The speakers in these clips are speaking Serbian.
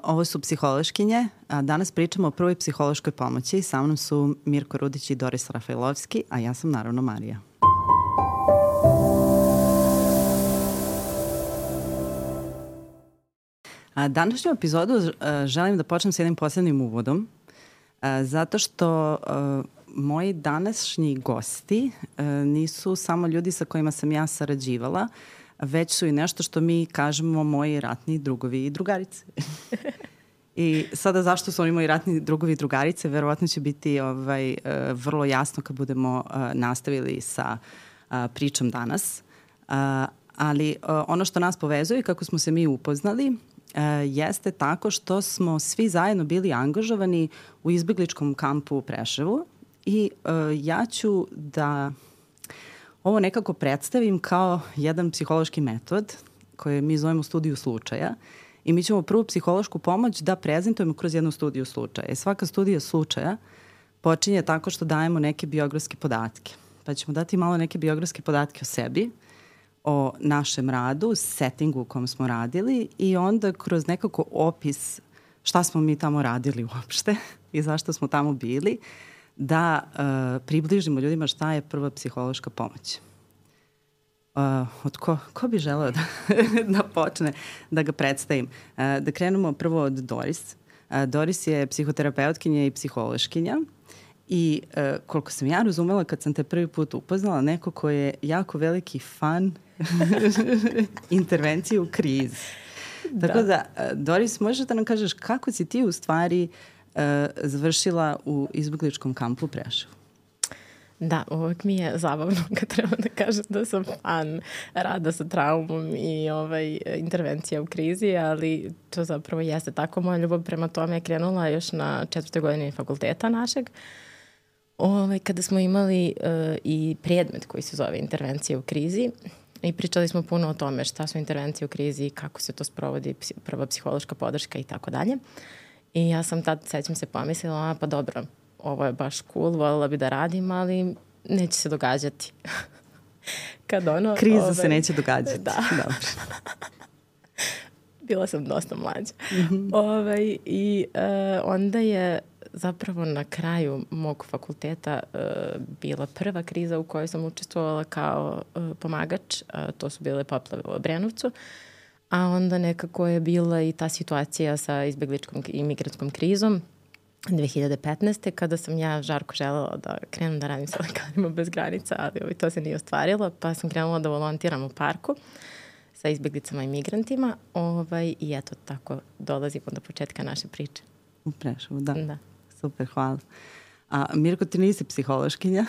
Ovo su psihološkinje. Danas pričamo o prvoj psihološkoj pomoći. Sa mnom su Mirko Rudić i Doris Rafailovski, a ja sam naravno Marija. Današnju epizodu želim da počnem s jednim posebnim uvodom, zato što moji današnji gosti nisu samo ljudi sa kojima sam ja sarađivala, već su i nešto što mi kažemo moji ratni drugovi i drugarice. I sada zašto su oni moji ratni drugovi i drugarice, verovatno će biti vrlo jasno kad budemo nastavili sa pričom danas. Ali ono što nas povezuje, kako smo se mi upoznali, jeste tako što smo svi zajedno bili angažovani u izbegličkom kampu u Preševu i ja ću da ovo nekako predstavim kao jedan psihološki metod koji mi zovemo studiju slučaja i mi ćemo prvu psihološku pomoć da prezentujemo kroz jednu studiju slučaja. Svaka studija slučaja počinje tako što dajemo neke biografske podatke. Pa ćemo dati malo neke biografske podatke o sebi, o našem radu, settingu u kom smo radili i onda kroz nekako opis šta smo mi tamo radili uopšte i zašto smo tamo bili, da približimo ljudima šta je prva psihološka pomoć. Ko bi želeo da počne da ga predstavim? Da krenemo prvo od Doris. Doris je psihoterapeutkinja i psihološkinja i koliko sam ja razumela kad sam te prvi put upoznala, neko ko je jako veliki fan intervencije u krizi. Da. Tako da, Doris, možeš da nam kažeš kako si ti u stvari završila u izbegličkom kampu u Preševu? Da, uvek mi je zabavno kad treba da kažem da sam fan rada sa traumom i intervencija u krizi, ali to zapravo jeste tako. Moja ljubav prema tome je krenula još na 4. godini fakulteta našeg, kada smo imali i predmet koji se zove intervencija u krizi i pričali smo puno o tome šta su intervencije u krizi, kako se to sprovodi, prva psihološka podrška i tako dalje. I ja sam tad, sećam se, pomislila, pa dobro, ovo je baš cool, voljela bi da radim, ali neće se događati. Kriza se neće događati. Da. Dobro. Bila sam dosta mlađa. I onda je zapravo na kraju mog fakulteta bila prva kriza u kojoj sam učestvovala kao pomagač. To su bile poplave u Obrenovcu. A onda nekako je bila i ta situacija sa izbegličkom i migrantskom krizom 2015. kada sam ja žarko želela da krenem da radim sa Lekarima bez granica, ali to se nije ostvarilo, pa sam krenula da volontiram u parku sa izbeglicama i migrantima i eto tako dolazimo do početka naše priče. U Preševu, da. Super, hvala. A Mirko, ti nisi psihološkinja,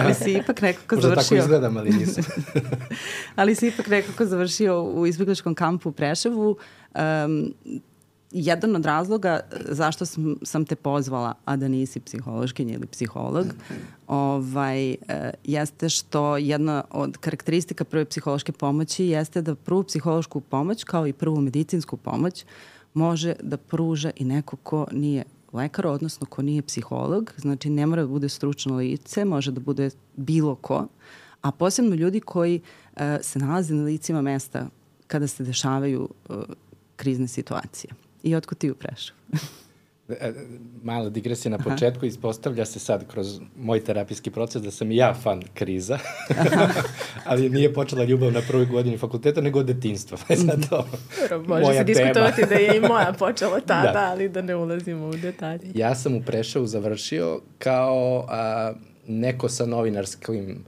ali si ipak nekako možda završio... Možda tako izgledam, ali nisam. Ali si ipak nekako završio u izbegličkom kampu u Preševu. Jedan od razloga zašto sam te pozvala, a da nisi psihološkinja ili psiholog, jeste što jedna od karakteristika prve psihološke pomoći jeste da prvu psihološku pomoć, kao i prvu medicinsku pomoć, može da pruža i neko ko nije lekar, odnosno ko nije psiholog, znači ne mora da bude stručno lice, može da bude bilo ko, a posebno ljudi koji se nalaze na licima mesta kada se dešavaju krizne situacije. I otkud ti u Preševu? Mala digresija na početku, ispostavlja se sad kroz moj terapijski proces da sam i ja fan kriza, ali nije počela ljubav na prvoj godini fakulteta, nego od detinjstva. Može se diskutovati da je i moja počela tada, ali da ne ulazimo u detalje. Ja sam u Preševu završio kao neko sa novinarskim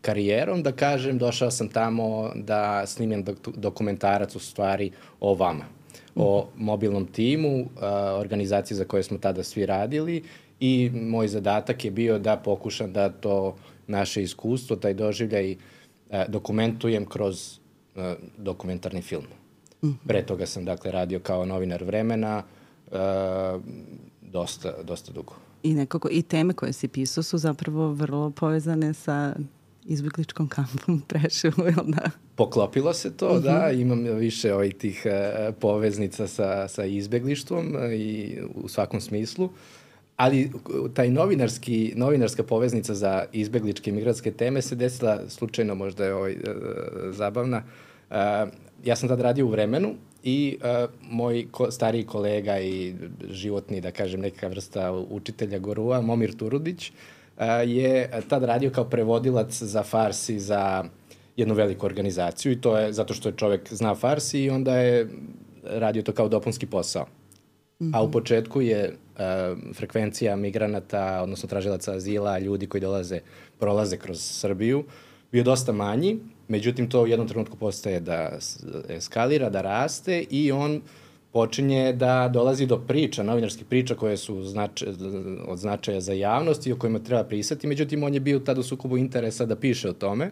karijerom, da kažem, došao sam tamo da snimim dokumentarac u stvari o vama, o mobilnom timu, organizaciji za koje smo tada svi radili i moj zadatak je bio da pokušam da to naše iskustvo, taj doživljaj dokumentujem kroz dokumentarni film. Pre toga sam dakle radio kao novinar Vremena dosta dugo. I nekako i teme koje si pisao su zapravo vrlo povezane sa izbegličkom kampom u Preševu, jel da? Poklopilo se to, da. Imam više tih poveznica sa izbeglištvom i u svakom smislu. Ali taj novinarska poveznica za izbegličke i migrantske teme se desila slučajno, možda je zabavna. Ja sam tad radio u Vremenu i moj stariji kolega i životni, da kažem, neka vrsta učitelja gurua, Momir Turudić, je tad radio kao prevodilac za Farsi za jednu veliku organizaciju i to je zato što je čovek zna Farsi i onda je radio to kao dopunski posao. A u početku je frekvencija migranata, odnosno tražilaca azila, ljudi koji prolaze kroz Srbiju, bio dosta manji, međutim to u jednom trenutku postaje da eskalira, da raste i on počinje da dolazi do priča, novinarskih priča koje su od značaja za javnost i o kojima treba pisati, međutim on je bio tad u sukobu interesa da piše o tome,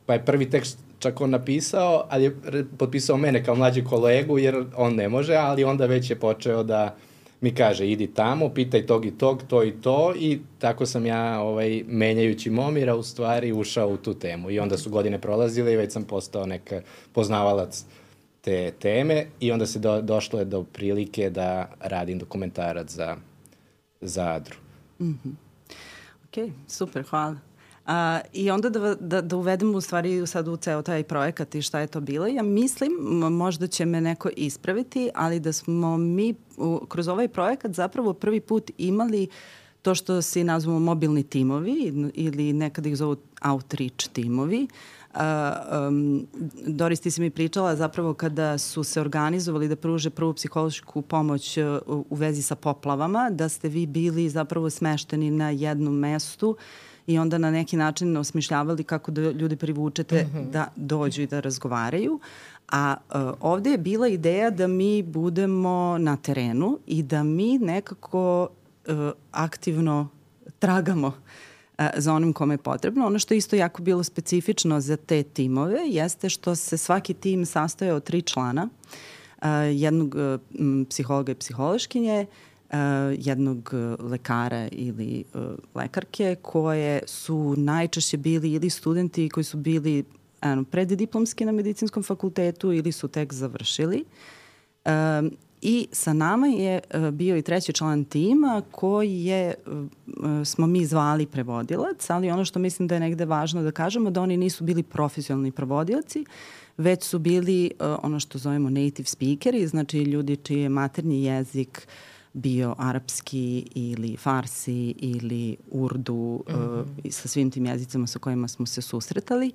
pa je prvi tekst čak on napisao, ali je potpisao mene kao mlađi kolegu jer on ne može, ali onda već je počeo da mi kaže idi tamo, pitaj tog i tog, to i to i tako sam ja menjajući Momira u stvari ušao u tu temu i onda su godine prolazile i već sam postao neka poznavalac te teme i onda se došlo je do prilike da radim dokumentarac za Adru. Ok, super, hvala. I onda da uvedemo u stvari sad u ceo taj projekat i šta je to bilo. Ja mislim, možda će me neko ispraviti, ali da smo mi kroz ovaj projekat zapravo prvi put imali to što se nazvamo mobilni timovi ili nekada ih zovu outreach timovi. Doris, ti si mi pričala zapravo kada su se organizovali da pruže prvu psihološku pomoć u vezi sa poplavama, da ste vi bili zapravo smešteni na jednom mestu i onda na neki način osmišljavali kako da ljudi privučete da dođu i da razgovaraju. A ovde je bila ideja da mi budemo na terenu i da mi nekako aktivno tragamo za onim kome je potrebno. Ono što je isto jako bilo specifično za te timove jeste što se svaki tim sastoje od 3 člana, jednog psihologa i psihološkinje, jednog lekara ili lekarke koje su najčešće bili ili studenti koji su bili preddiplomski na medicinskom fakultetu ili su tek završili. I sa nama je bio i treći član tima koji smo mi zvali prevodilac, ali ono što mislim da je negde važno da kažemo da oni nisu bili profesionalni prevodioci, već su bili ono što zovemo native speakeri, znači ljudi čiji je maternji jezik bio arapski ili farsi ili urdu sa svim tim jezicama sa kojima smo se susretali.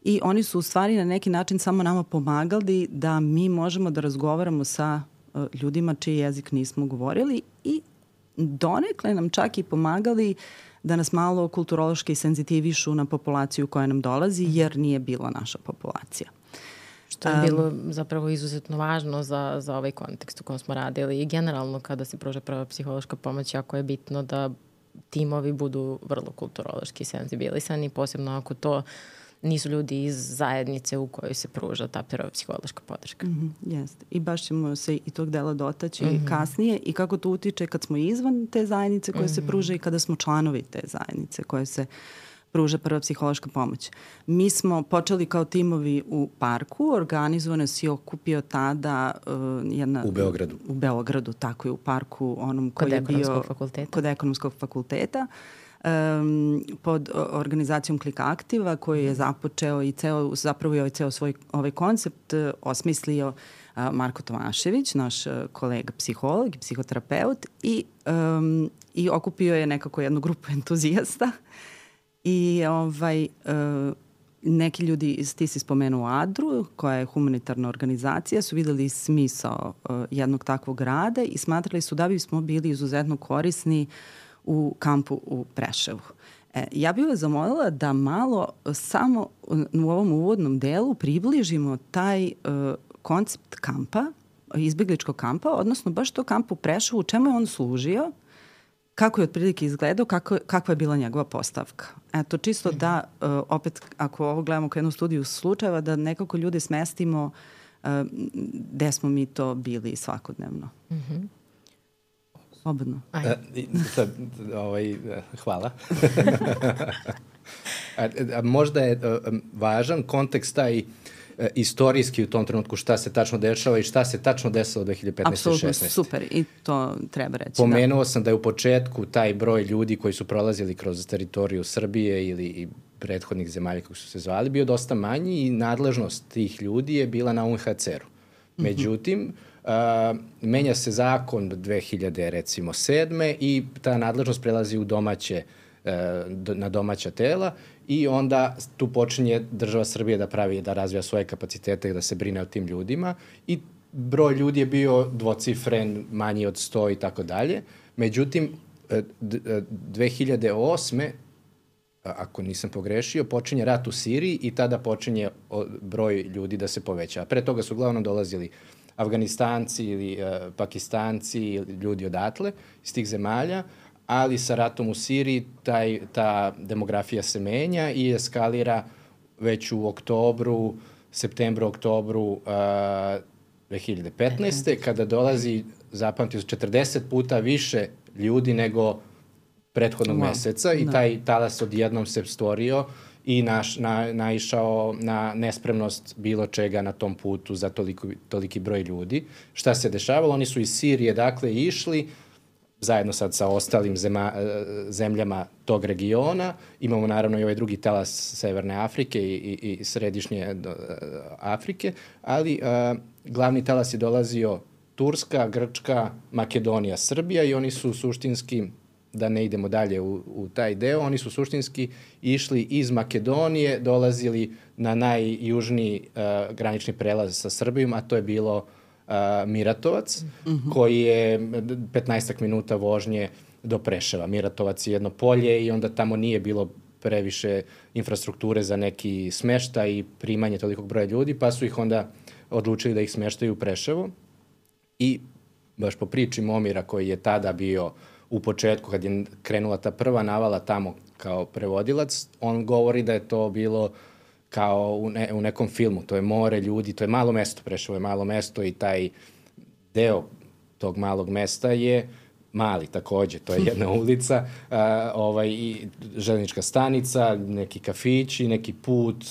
I oni su u stvari na neki način samo nama pomagali da mi možemo da razgovaramo sa ljudima čiji jezik nismo govorili i donekle nam čak i pomagali da nas malo kulturološki senzitivišu na populaciju koja nam dolazi jer nije bila naša populacija. Što je bilo zapravo izuzetno važno za ovaj kontekst u kojem smo radili i generalno kada se pruža prva psihološka pomoć, jako je bitno da timovi budu vrlo kulturološki senzibilisani, posebno ako to nisu ljudi iz zajednice u kojoj se pruža ta prva psihološka podrška. Jeste. I baš ćemo se i tog dela dotaći kasnije i kako to utiče kad smo izvan te zajednice koje se pruža i kada smo članovi te zajednice koje se pruža prva psihološka pomoć. Mi smo počeli kao timovi u parku, organizovano se i okupio tada jedna... U Beogradu. U Beogradu, tako je, u parku onom koji je bio... Kod ekonomskog fakulteta. Pod organizacijom Klik Aktiva koji je započeo i zapravo je ceo svoj ovaj koncept osmislio Marko Tomašević, naš kolega psiholog i psihoterapeut i okupio je nekako jednu grupu entuzijasta i neki ljudi, ti si spomenuo Adru, koja je humanitarna organizacija, su videli smisao jednog takvog rada i smatrali su da bismo bili izuzetno korisni u kampu u Preševu. Ja bih vas zamolila da malo samo u ovom uvodnom delu približimo taj koncept kampa, izbjegličkog kampa, odnosno baš to kamp u Preševu, u čemu je on služio, kako je otprilike izgledao, kakva je bila njegova postavka. Eto, čisto da, opet, ako ovo gledamo kao jednu studiju slučajeva, da nekako ljude smestimo gde smo mi to bili svakodnevno. Slobodno. Hvala. Možda je važan kontekst taj istorijski u tom trenutku šta se tačno dešava i šta se tačno desilo 2015. Apsolutno, 16. super i to treba reći. Pomenuo sam da je u početku taj broj ljudi koji su prolazili kroz teritoriju Srbije ili prethodnih zemalja kako su se zvali bio dosta manji i nadležnost tih ljudi je bila na UNHCR-u. Međutim, menja se zakon 2007. i ta nadležnost prelazi u na domaća tela i onda tu počinje država Srbije da razvija svoje kapacitete i da se brine o tim ljudima i broj ljudi je bio dvocifren, manji od 100 i tako dalje. Međutim, 2008. ako nisam pogrešio, počinje rat u Siriji i tada počinje broj ljudi da se poveća. Pre toga su uglavnom dolazili Afganistanci ili Pakistanci ili ljudi odatle iz tih zemalja, ali sa ratom u Siriji ta demografija se menja i eskalira već u septembru 2015. kada dolazi, zapamtio, 40 puta više ljudi nego prethodnog meseca i taj talas odjednom se stvorio i naišao na nespremnost bilo čega na tom putu za toliki broj ljudi. Šta se dešavalo? Oni su iz Sirije išli zajedno sad sa ostalim zemljama tog regiona. Imamo naravno i ovaj drugi talas Severne Afrike i središnje Afrike, ali glavni talas je dolazio Turska, Grčka, Makedonija, Srbija i oni su suštinski, da ne idemo dalje u taj deo, oni su suštinski išli iz Makedonije, dolazili na najjužniji granični prelaz sa Srbijom, a to je bilo Miratovac, koji je 15 minuta vožnje do Preševa. Miratovac je jedno polje i onda tamo nije bilo previše infrastrukture za neki smeštaj i primanje tolikog broja ljudi, pa su ih onda odlučili da ih smeštaju u Preševo. I baš po priči Momira koji je tada bio u početku, kad je krenula ta prva navala tamo kao prevodilac, on govori da je to bilo kao u nekom filmu. To je more ljudi, to je malo mesto, Preševo je malo mesto i taj deo tog malog mesta je mali takođe, to je jedna ulica, i železnička stanica, neki kafići, neki put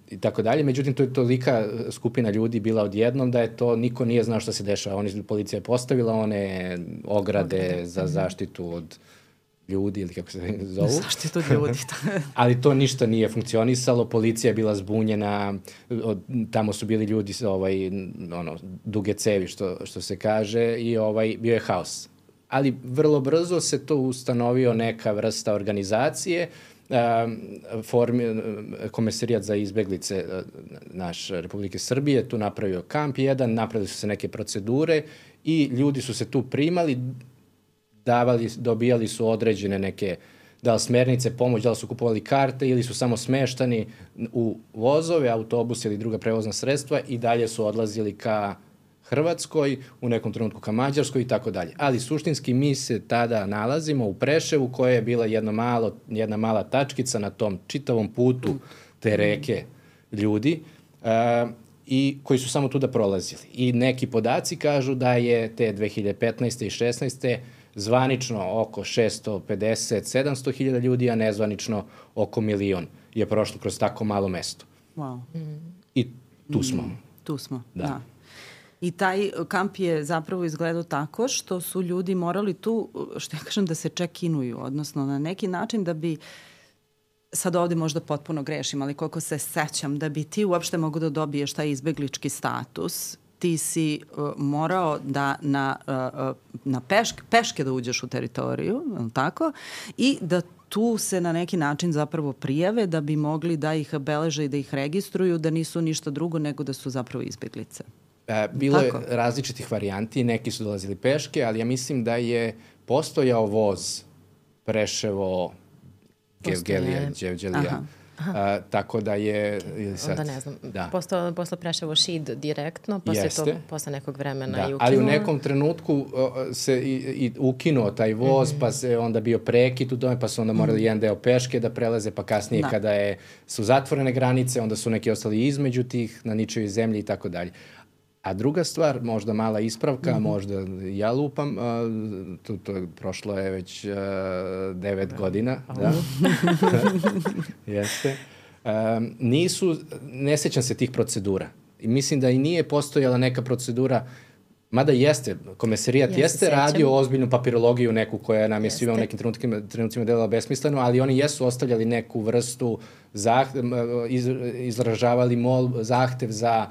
i tako dalje. Međutim, to je tolika skupina ljudi bila odjednom da je to, niko nije znao šta se dešava. Policija je postavila one ograde za zaštitu od ljudi ili kako se zovu. Zaštitu od ljudi. Ali to ništa nije funkcionisalo, policija je bila zbunjena, tamo su bili ljudi duge cevi što se kaže i bio je haos. Ali vrlo brzo se to ustanovio neka vrsta organizacije, Komesarijat za izbeglice Republike Srbije, tu napravio kamp jedan, napravili su se neke procedure i ljudi su se tu primali, dobijali su određene neke, da li smernice, pomoć, da li su kupovali karte ili su samo smeštani u vozove, autobuse ili druga prevozna sredstva i dalje su odlazili ka Hrvatskoj, u nekom trenutku ka Mađarskoj i tako dalje. Ali suštinski mi se tada nalazimo u Preševu koja je bila jedna mala tačkica na tom čitavom putu te reke ljudi i koji su samo tu da prolazili. I neki podaci kažu da je te 2015. i 16. zvanično oko 650-700 hiljada ljudi, a nezvanično oko 1 milion je prošlo kroz tako malo mesto. Wow. I tu smo. Tu smo, da. I taj kamp je zapravo izgledao tako što su ljudi morali tu, što ja kažem, da se check-inuju, odnosno na neki način da bi, sad ovde možda potpuno grešim, ali koliko se sećam, da bi ti uopšte mogu da dobiješ taj izbeglički status, ti si morao da na peške da uđeš u teritoriju, tako, i da tu se na neki način zapravo prijave da bi mogli da ih beleže i da ih registruju, da nisu ništa drugo nego da su zapravo izbeglice. Bilo je različitih varijanti, neki su dolazili peške, ali ja mislim da je postojao voz Preševo, Gevgelija, Đevđelija. Tako da je... Onda ne znam, posle Preševo Šid direktno, posle nekog vremena i ukinuo. Ali u nekom trenutku se i ukinuo taj voz, pa se onda bio prekid u tome, pa su onda morali jedan deo peške da prelaze, pa kasnije kada su zatvorene granice, onda su neki ostali između tih, na ničoj zemlji i tako dalje. A druga stvar, možda mala ispravka, možda ja lupam, prošlo je već 9 godina. Da. Jeste. Ne sećam se tih procedura. I mislim da i nije postojala neka procedura, mada jeste, Komesarijat jeste radio ozbiljnu papirologiju neku koja nam je svima u nekim trenucima delala besmisleno, ali oni jesu ostavljali neku vrstu, izražavali zahtev za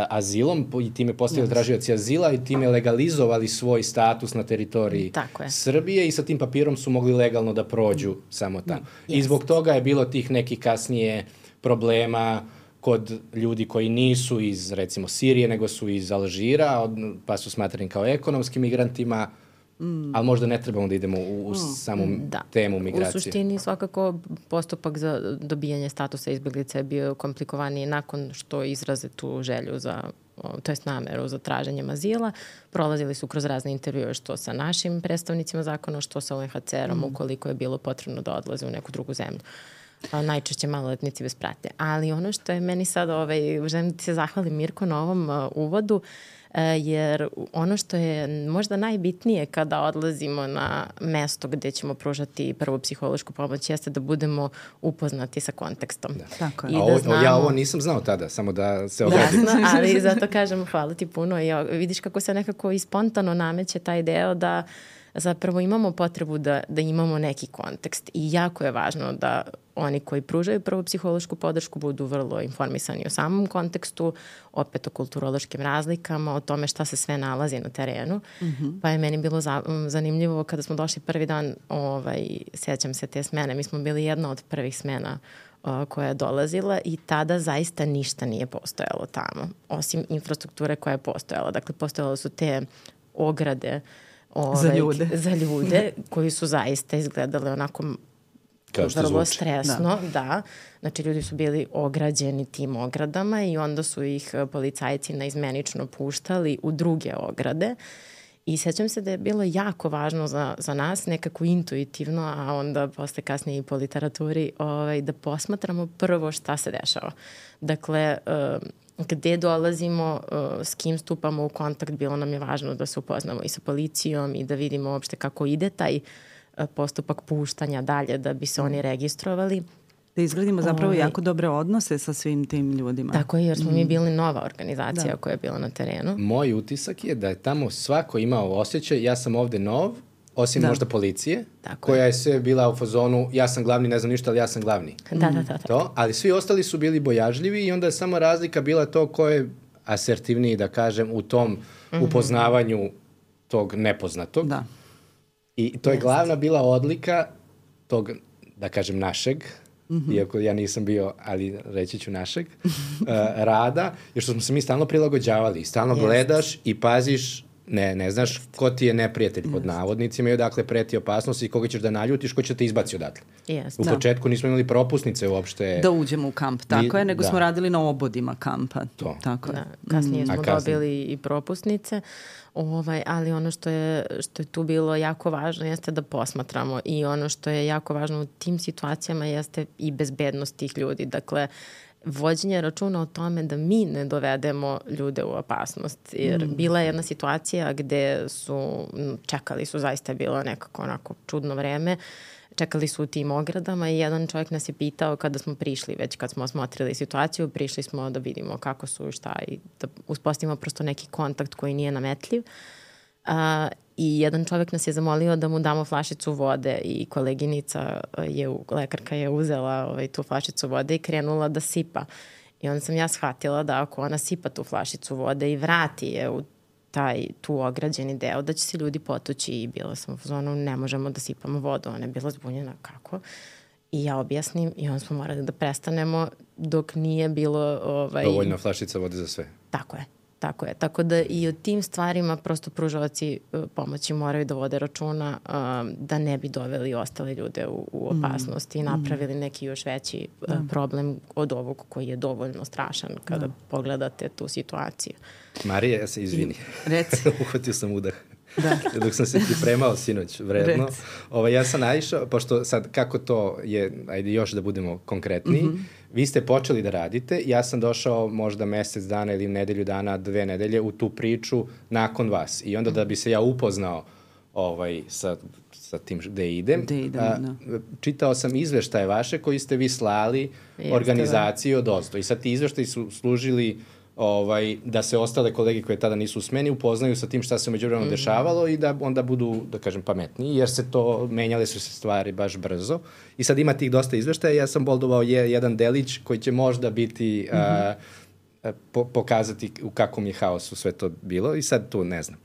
azilom i time postali tražioci azila i time legalizovali svoj status na teritoriji Srbije i sa tim papirom su mogli legalno da prođu samo tamo. I zbog toga je bilo tih nekih kasnije problema kod ljudi koji nisu iz, recimo, Sirije, nego su iz Alžira, pa su smatrani kao ekonomskim migrantima, ali možda ne trebamo da idemo u samu temu migracije. U suštini svakako postupak za dobijanje statusa izbjeglice je bio komplikovaniji nakon što izraze tu želju za, to jest nameru za traženjem azila. Prolazili su kroz razne intervjue što sa našim predstavnicima zakona, što sa UNHCR-om ukoliko je bilo potrebno da odlaze u neku drugu zemlju. Najčešće maloletnici bez pratnje. Ali ono što je meni sad, želim da ti se zahvalim Mirko na ovom uvodu, jer ono što je možda najbitnije kada odlazimo na mesto gde ćemo pružati prvu psihološku pomoć jeste da budemo upoznati sa kontekstom. Tako je. Ja ovo nisam znao tada, samo da se obradim. Jasno, ali zato kažem hvala ti puno. Vidiš kako se nekako i spontano nameće taj deo da zapravo imamo potrebu da imamo neki kontekst i jako je važno da oni koji pružaju prvu psihološku podršku budu vrlo informisani o samom kontekstu, opet o kulturološkim razlikama, o tome šta se sve nalazi na terenu. Pa je meni bilo zanimljivo kada smo došli prvi dan, sjećam se te smene, mi smo bili jedna od prvih smena koja je dolazila i tada zaista ništa nije postojalo tamo, osim infrastrukture koja je postojala. Dakle, postojale su te ograde za ljude koji su zaista izgledali onako vrlo stresno. Da. Znači, ljudi su bili ograđeni tim ogradama i onda su ih policajci naizmenično puštali u druge ograde. I sjećam se da je bilo jako važno za nas, nekako intuitivno, a onda posle kasnije i po literaturi, da posmatramo prvo šta se dešava. Dakle, gde dolazimo, s kim stupamo u kontakt, bilo nam je važno da se upoznamo i sa policijom i da vidimo uopšte kako ide taj postupak puštanja dalje da bi se oni registrovali. Da izgradimo zapravo jako dobre odnose sa svim tim ljudima. Tako je, jer smo mi bili nova organizacija koja je bila na terenu. Moj utisak je da je tamo svako imao osjećaj, ja sam ovde nov, osim možda policije, koja je sve bila u fazonu, ja sam glavni, ne znam ništa, ali ja sam glavni. Da. Ali svi ostali su bili bojažljivi i onda je samo razlika bila to ko je asertivniji, da kažem, u tom upoznavanju tog nepoznatog. Da. I to je glavna bila odlika tog, da kažem, našeg, iako ja nisam bio, ali reći ću našeg, rada, jer što smo se mi stalno prilagođavali. Stalno gledaš i paziš, ne znaš ko ti je neprijatelj pod navodnicima i odakle preti opasnost i koga ćeš da naljutiš, ko će te izbaci odatle. U početku nismo imali propusnice uopšte. Da uđemo u kamp, tako je, nego smo radili na obodima kampa. Tako je. Kasnije smo dobili i propusnice, ali ono što je tu bilo jako važno jeste da posmatramo i ono što je jako važno u tim situacijama jeste i bezbednost tih ljudi. Dakle, vođenje računa o tome da mi ne dovedemo ljude u opasnost. Jer bila je jedna situacija gde čekali su, zaista je bilo nekako onako čudno vreme, čekali su u tim ogradama i jedan čovjek nas je pitao kada smo prišli, već kad smo osmotrili situaciju, prišli smo da vidimo kako su, šta i da uspostavimo prosto neki kontakt koji nije nametljiv. I jedan čovjek nas je zamolio da mu damo flašicu vode i koleginica, lekarka je uzela tu flašicu vode i krenula da sipa. I onda sam ja shvatila da ako ona sipa tu flašicu vode i vrati je u tu ograđeni deo, da će se ljudi potući i bila sam u zonu, ne možemo da sipamo vodu. Ona je bila zbunjena, kako? I ja objasnim i onda smo morali da prestanemo dok nije bilo... Dovoljna flašica vode za sve. Tako je. Tako da i o tim stvarima prosto pružavaci pomoći moraju da vode računa da ne bi doveli ostale ljude u opasnost i napravili neki još veći problem od ovog koji je dovoljno strašan kada pogledate tu situaciju. Marija, ja se izvini. Reci. Uhvatio sam udah. Da. Dok sam se pripremao sinoć vredno. Ja sam naišao, pošto sad kako to je, ajde još da budemo konkretniji, vi ste počeli da radite, ja sam došao možda mesec dana ili nedelju dana, 2 nedelje u tu priču nakon vas. I onda da bi se ja upoznao sa tim gde idem, čitao sam izveštaje vaše koji ste vi slali organizaciji od ozdo. I sad ti izveštaji su služili da se ostale kolege koje tada nisu u smeni upoznaju sa tim šta se međuvremenu dešavalo i da onda budu, da kažem, pametniji, jer menjale su se stvari baš brzo. I sad ima tih dosta izveštaja. Ja sam boldovao jedan delić koji će možda biti pokazati u kakvom je haosu sve to bilo i sad tu ne znam.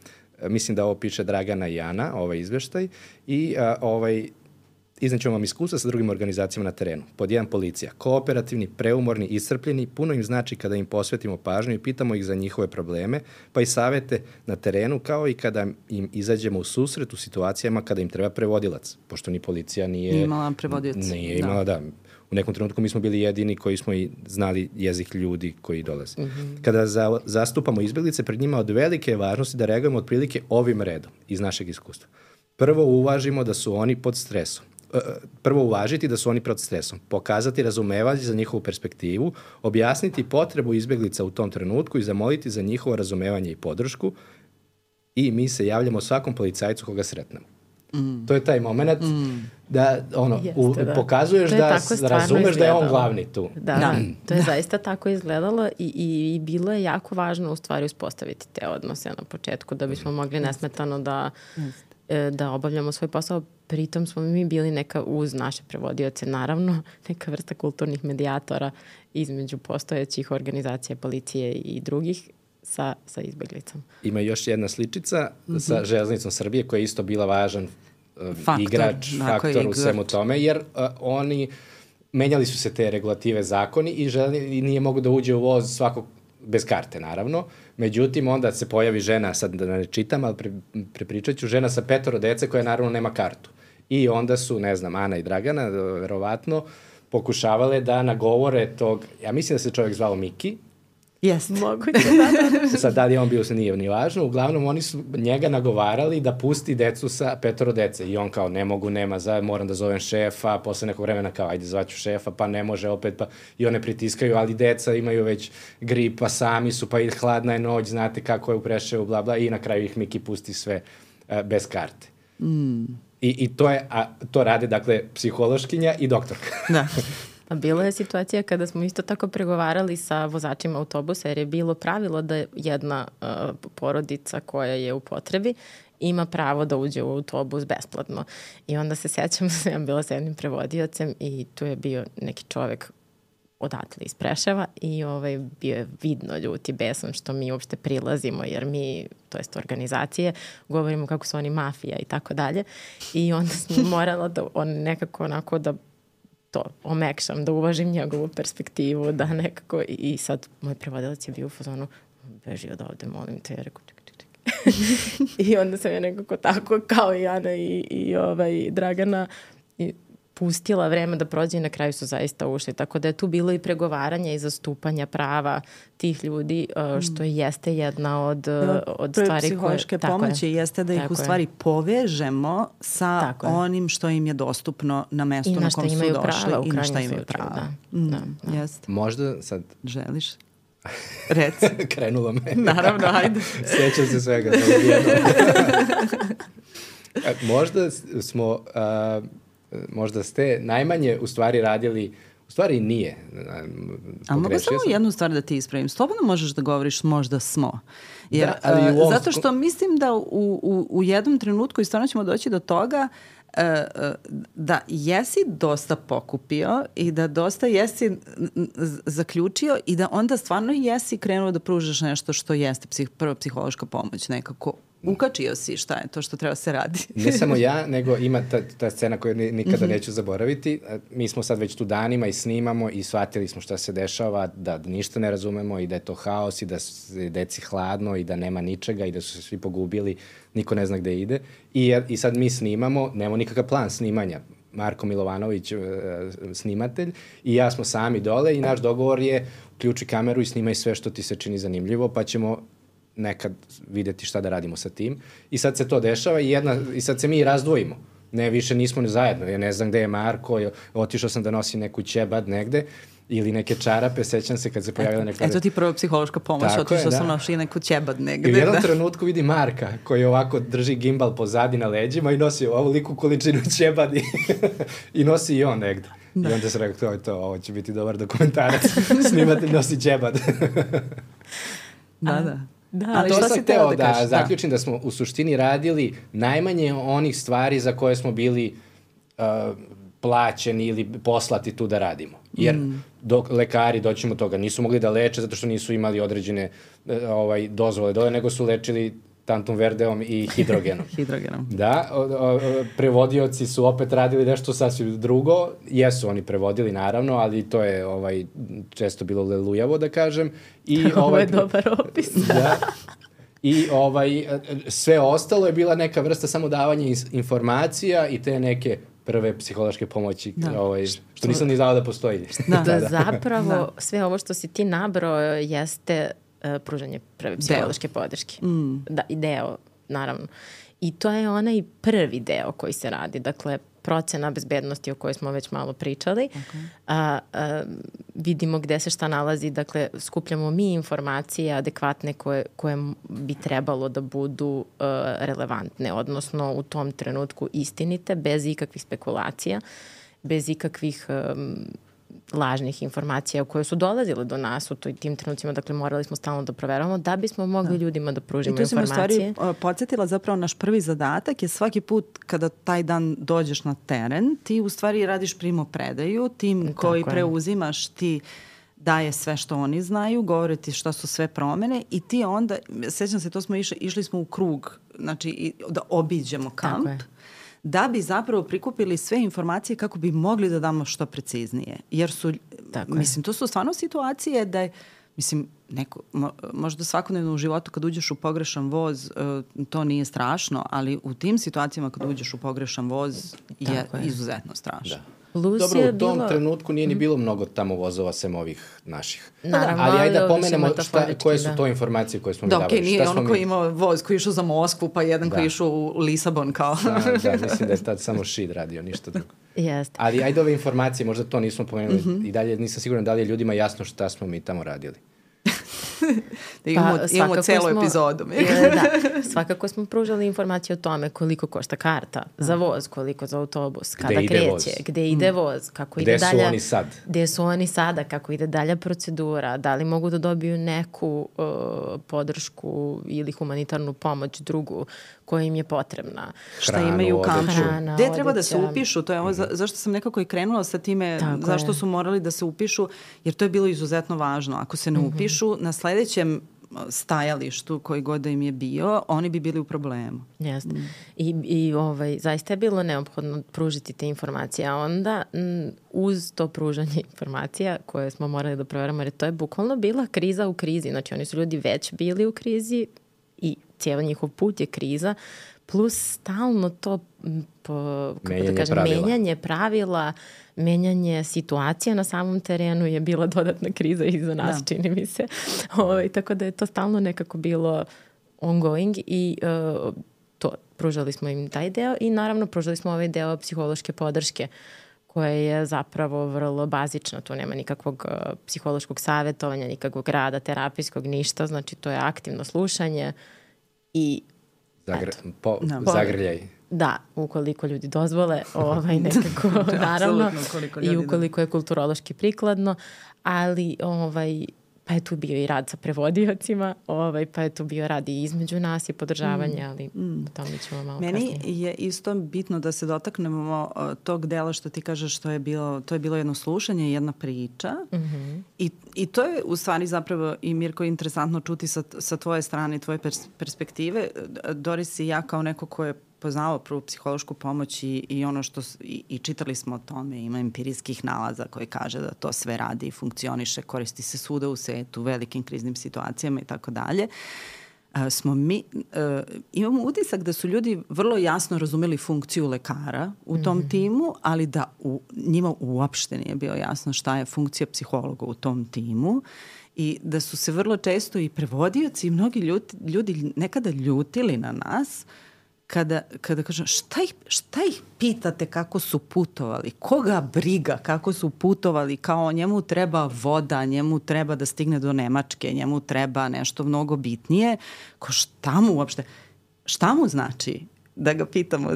Mislim da ovo piše Dragana i Ana, ovaj izveštaj i iznećemo vam iskustva sa drugim organizacijama na terenu. Pod 1, policija. Kooperativni, preumorni, iscrpljeni, puno im znači kada im posvetimo pažnju i pitamo ih za njihove probleme, pa i savete na terenu, kao i kada im izađemo u susret u situacijama kada im treba prevodilac, pošto ni policija nije imala prevodioca. Nije imala, da. U nekom trenutku mi smo bili jedini koji smo i znali jezik ljudi koji dolaze. Kada zastupamo izbjeglice, pred njima od velike važnosti da reagujemo otprilike ovim redom iz našeg iskustva. Prvo uvažimo da su oni pod stresom. Prvo uvažiti da su oni pod stresom, pokazati razumevanje za njihovu perspektivu, objasniti potrebu izbjeglica u tom trenutku i zamoliti za njihovo razumevanje i podršku i mi se javljamo svakom policajcu koga sretnemo. To je taj moment da pokazuješ da razumeš da je on glavni tu. Da. To je zaista tako izgledalo i bilo je jako važno u stvari uspostaviti te odnose na početku da bismo mogli nesmetano da obavljamo svoj posao. Pritom smo mi bili neka uz naše prevodioce, naravno, neka vrsta kulturnih medijatora između postojećih organizacija, policije i drugih sa izbeglicom. Ima još jedna sličica sa Železnicom Srbije koja je isto bila važan faktor u svemu tome, jer oni menjali su se te regulative zakoni i nije mogu da uđe u voz svakog bez karte, naravno. Međutim, onda se pojavi žena, sad da ne čitam, ali prepričat ću, žena sa 5 dece koja naravno nema kartu. I onda su, ne znam, Ana i Dragana, verovatno, pokušavale da nagovore tog, ja mislim da se čovjek zvao Miki. Jeste. Moguće, da. Sad, da li on bio, se nije ni važno. Uglavnom, oni su njega nagovarali da pusti decu sa 5 dece. I on kao, ne mogu, moram da zovem šefa. Posle nekog vremena kao, ajde, zvaću šefa, pa ne može opet. Pa i one pritiskaju, ali deca imaju već grip, pa sami su, pa i hladna je noć, znate kako je u Preševu, bla, bla. I na kraju ih Miki pusti sve bez karte. I to rade, dakle, psihološkinja i doktorka. Da. A bila je situacija kada smo isto tako pregovarali sa vozačima autobusa, jer je bilo pravilo da jedna porodica koja je u potrebi ima pravo da uđe u autobus besplatno. I onda se sećam da sam bila sa jednim prevodiocem i tu je bio neki čovek odatle iz Preševa i bio je vidno ljut i besan što mi uopšte prilazimo, jer mi, to jest organizacije, govorimo kako su oni mafija i tako dalje. I onda sam morala da nekako onako da to omekšam, da uvažim njegovu perspektivu, da nekako, i sad moj prevodilac je bio u fazonu, beži od ovde, molim te, ja rekao, čekaj. I onda sam ja nekako tako, kao i Ana i Dragana, pustila vreme da prođe i na kraju su zaista ušli. Tako da je tu bilo i pregovaranja i zastupanja prava tih ljudi, što jeste jedna od stvari koje... Psihološke pomoći jeste da ih u stvari povežemo sa onim što im je dostupno na mestu na kom su došli i na šta imaju prava. Jeste. Možda sad... Želiš? Reci. Krenulo me. Naravno, ajde. Sjećam se svega. Možda ste najmanje u stvari radili, u stvari nije. A mogu samo jednu stvar da ti ispravim. Slobodno možeš da govoriš možda smo. Jer, zato što mislim da u jednom trenutku i stvarno ćemo doći do toga da jesi dosta pokupio i da dosta jesi zaključio i da onda stvarno jesi krenuo da pružaš nešto što jeste prva psihološka pomoć nekako. Ukačio si šta je to što treba se radi. Ne samo ja, nego ima ta scena koju nikada neću zaboraviti. Mi smo sad već tu danima i snimamo i shvatili smo šta se dešava, da ništa ne razumemo i da je to haos i da je deci hladno i da nema ničega i da su se svi pogubili, niko ne zna gde ide. I sad mi snimamo, nemamo nikakav plan snimanja. Marko Milovanović, snimatelj, i ja smo sami dole i naš dogovor je uključi kameru i snimaj sve što ti se čini zanimljivo, pa ćemo nekad videti šta da radimo sa tim. I sad se to dešava i sad se mi razdvojimo. Ne, više nismo ni zajedno. Ja ne znam gde je Marko, otišao sam da nosim neku ćebad negde ili neke čarape, sećam se kad se pojavila neka... Eto ti prva psihološka pomoć, otišao sam nosi neku ćebad negde. I u jednom trenutku vidi Marka koji ovako drži gimbal pozadi na leđima i nosi ovu liku količinu ćebadi i nosi i on negde. I onda se rekao, ovo će biti dobar dokumentarac. Snimatelj nosi ćebad. Da. A to sam hteo da zaključim da smo u suštini radili najmanje onih stvari za koje smo bili plaćeni ili poslati tu da radimo. Jer lekari, doćemo toga, nisu mogli da leče zato što nisu imali određene dozvole dole, nego su lečili tantum verdeom i hidrogenom. Hidrogenom. Da, prevodioci su opet radili nešto sasvim drugo. Jesu oni prevodili, naravno, ali to je često bilo lelujavo, da kažem. Ovo je dobar opis. Da. I sve ostalo je bila neka vrsta samo davanja informacija i te neke prve psihološke pomoći, što nisam ni znao da postoji. Da, zapravo sve ovo što si ti nabrao jeste pružanje prve psihološke podrške. Da, i deo, naravno. I to je onaj prvi deo koji se radi. Dakle, procena bezbednosti o kojoj smo već malo pričali. Vidimo gde se šta nalazi. Dakle, skupljamo mi informacije adekvatne koje bi trebalo da budu relevantne, odnosno u tom trenutku istinite, bez ikakvih spekulacija, bez ikakvih lažnih informacija koje su dolazile do nas u tim trenucima. Dakle, morali smo stalno da proveravamo da bismo mogli ljudima da pružimo informacije. I tu si me u stvari podsjetila zapravo naš prvi zadatak je svaki put kada taj dan dođeš na teren, ti u stvari radiš primopredaju, tim koji preuzimaš ti daje sve što oni znaju, govore ti šta su sve promene i ti onda, sećam se, to smo išli smo u krug, znači da obiđemo kamp, da bi zapravo prikupili sve informacije kako bi mogli da damo što preciznije. Jer su, mislim, to su stvarno situacije da je, mislim, možda svakodnevno u životu kad uđeš u pogrešan voz, to nije strašno, ali u tim situacijama kad uđeš u pogrešan voz je izuzetno strašno. Da. Dobro, u tom trenutku nije ni bilo mnogo tamo vozova sem ovih naših. Naravno, ali ajde da pomenemo koje su to informacije koje smo mi davali. Da, okej, nije ono koji imao voz koji išao za Moskvu, pa jedan koji išao u Lisabon kao. Da, mislim da je tad samo Šid radio, ništa drugo. Jeste. Ali ajde ove informacije, možda to nismo pomenuli i dalje nisam siguran da li je ljudima jasno šta smo mi tamo radili. Da imamo celu epizodu. Da, svakako smo pružali informacije o tome koliko košta karta za voz, koliko za autobus, kada kreće, gde ide voz, kako ide dalje. Gde su oni sad? Gde su oni sada, kako ide dalja procedura, da li mogu da dobiju neku podršku ili humanitarnu pomoć drugu koja im je potrebna. Šta imaju u kampu. Gde treba da se upišu? To je ovo zašto sam nekako i krenula sa time, zašto su morali da se upišu, jer to je bilo izuzetno važno. Ako se ne upišu, na sledećem stajalištu koji god da im je bio, oni bi bili u problemu. Jeste. I zaista je bilo neophodno pružiti te informacije, a onda uz to pružanje informacija koje smo morali da proveramo, jer to je bukvalno bila kriza u krizi. Znači, oni su ljudi već bili u krizi i cijeli njihov put je kriza, plus stalno to menjanje pravila, menjanje situacija na samom terenu je bila dodatna kriza i za nas, čini mi se. Tako da je to stalno nekako bilo ongoing i pružali smo im taj deo i naravno pružali smo ovaj deo psihološke podrške koja je zapravo vrlo bazična. Tu nema nikakvog psihološkog savjetovanja, nikakvog rada terapijskog, ništa. Znači to je aktivno slušanje i zagrljaj. Da, ukoliko ljudi dozvole, nekako, naravno, i ukoliko je kulturološki prikladno, ali pa je tu bio i rad sa prevodiocima, pa je tu bio rad i između nas i podržavanje, ali o tome ćemo malo kasnije. Meni je isto bitno da se dotaknemo tog dela što ti kažeš to je bilo jedno slušanje i jedna priča i to je u stvari zapravo i Mirko interesantno čuti sa tvoje strane, tvoje perspektive. Doris i ja kao neko ko je poznao prvu psihološku pomoć i ono što i čitali smo o tome, ima empirijskih nalaza koji kaže da to sve radi i funkcioniše, koristi se svuda u svetu, velikim kriznim situacijama i tako dalje. Imamo utisak da su ljudi vrlo jasno razumeli funkciju lekara u tom timu, ali da njima uopšte nije bilo jasno šta je funkcija psihologa u tom timu i da su se vrlo često i prevodioci i mnogi ljudi nekada ljutili na nas kada kažem, šta ih pitate kako su putovali? Koga briga kako su putovali? Kao njemu treba voda, njemu treba da stigne do Nemačke, njemu treba nešto mnogo bitnije. Šta mu znači da ga pitamo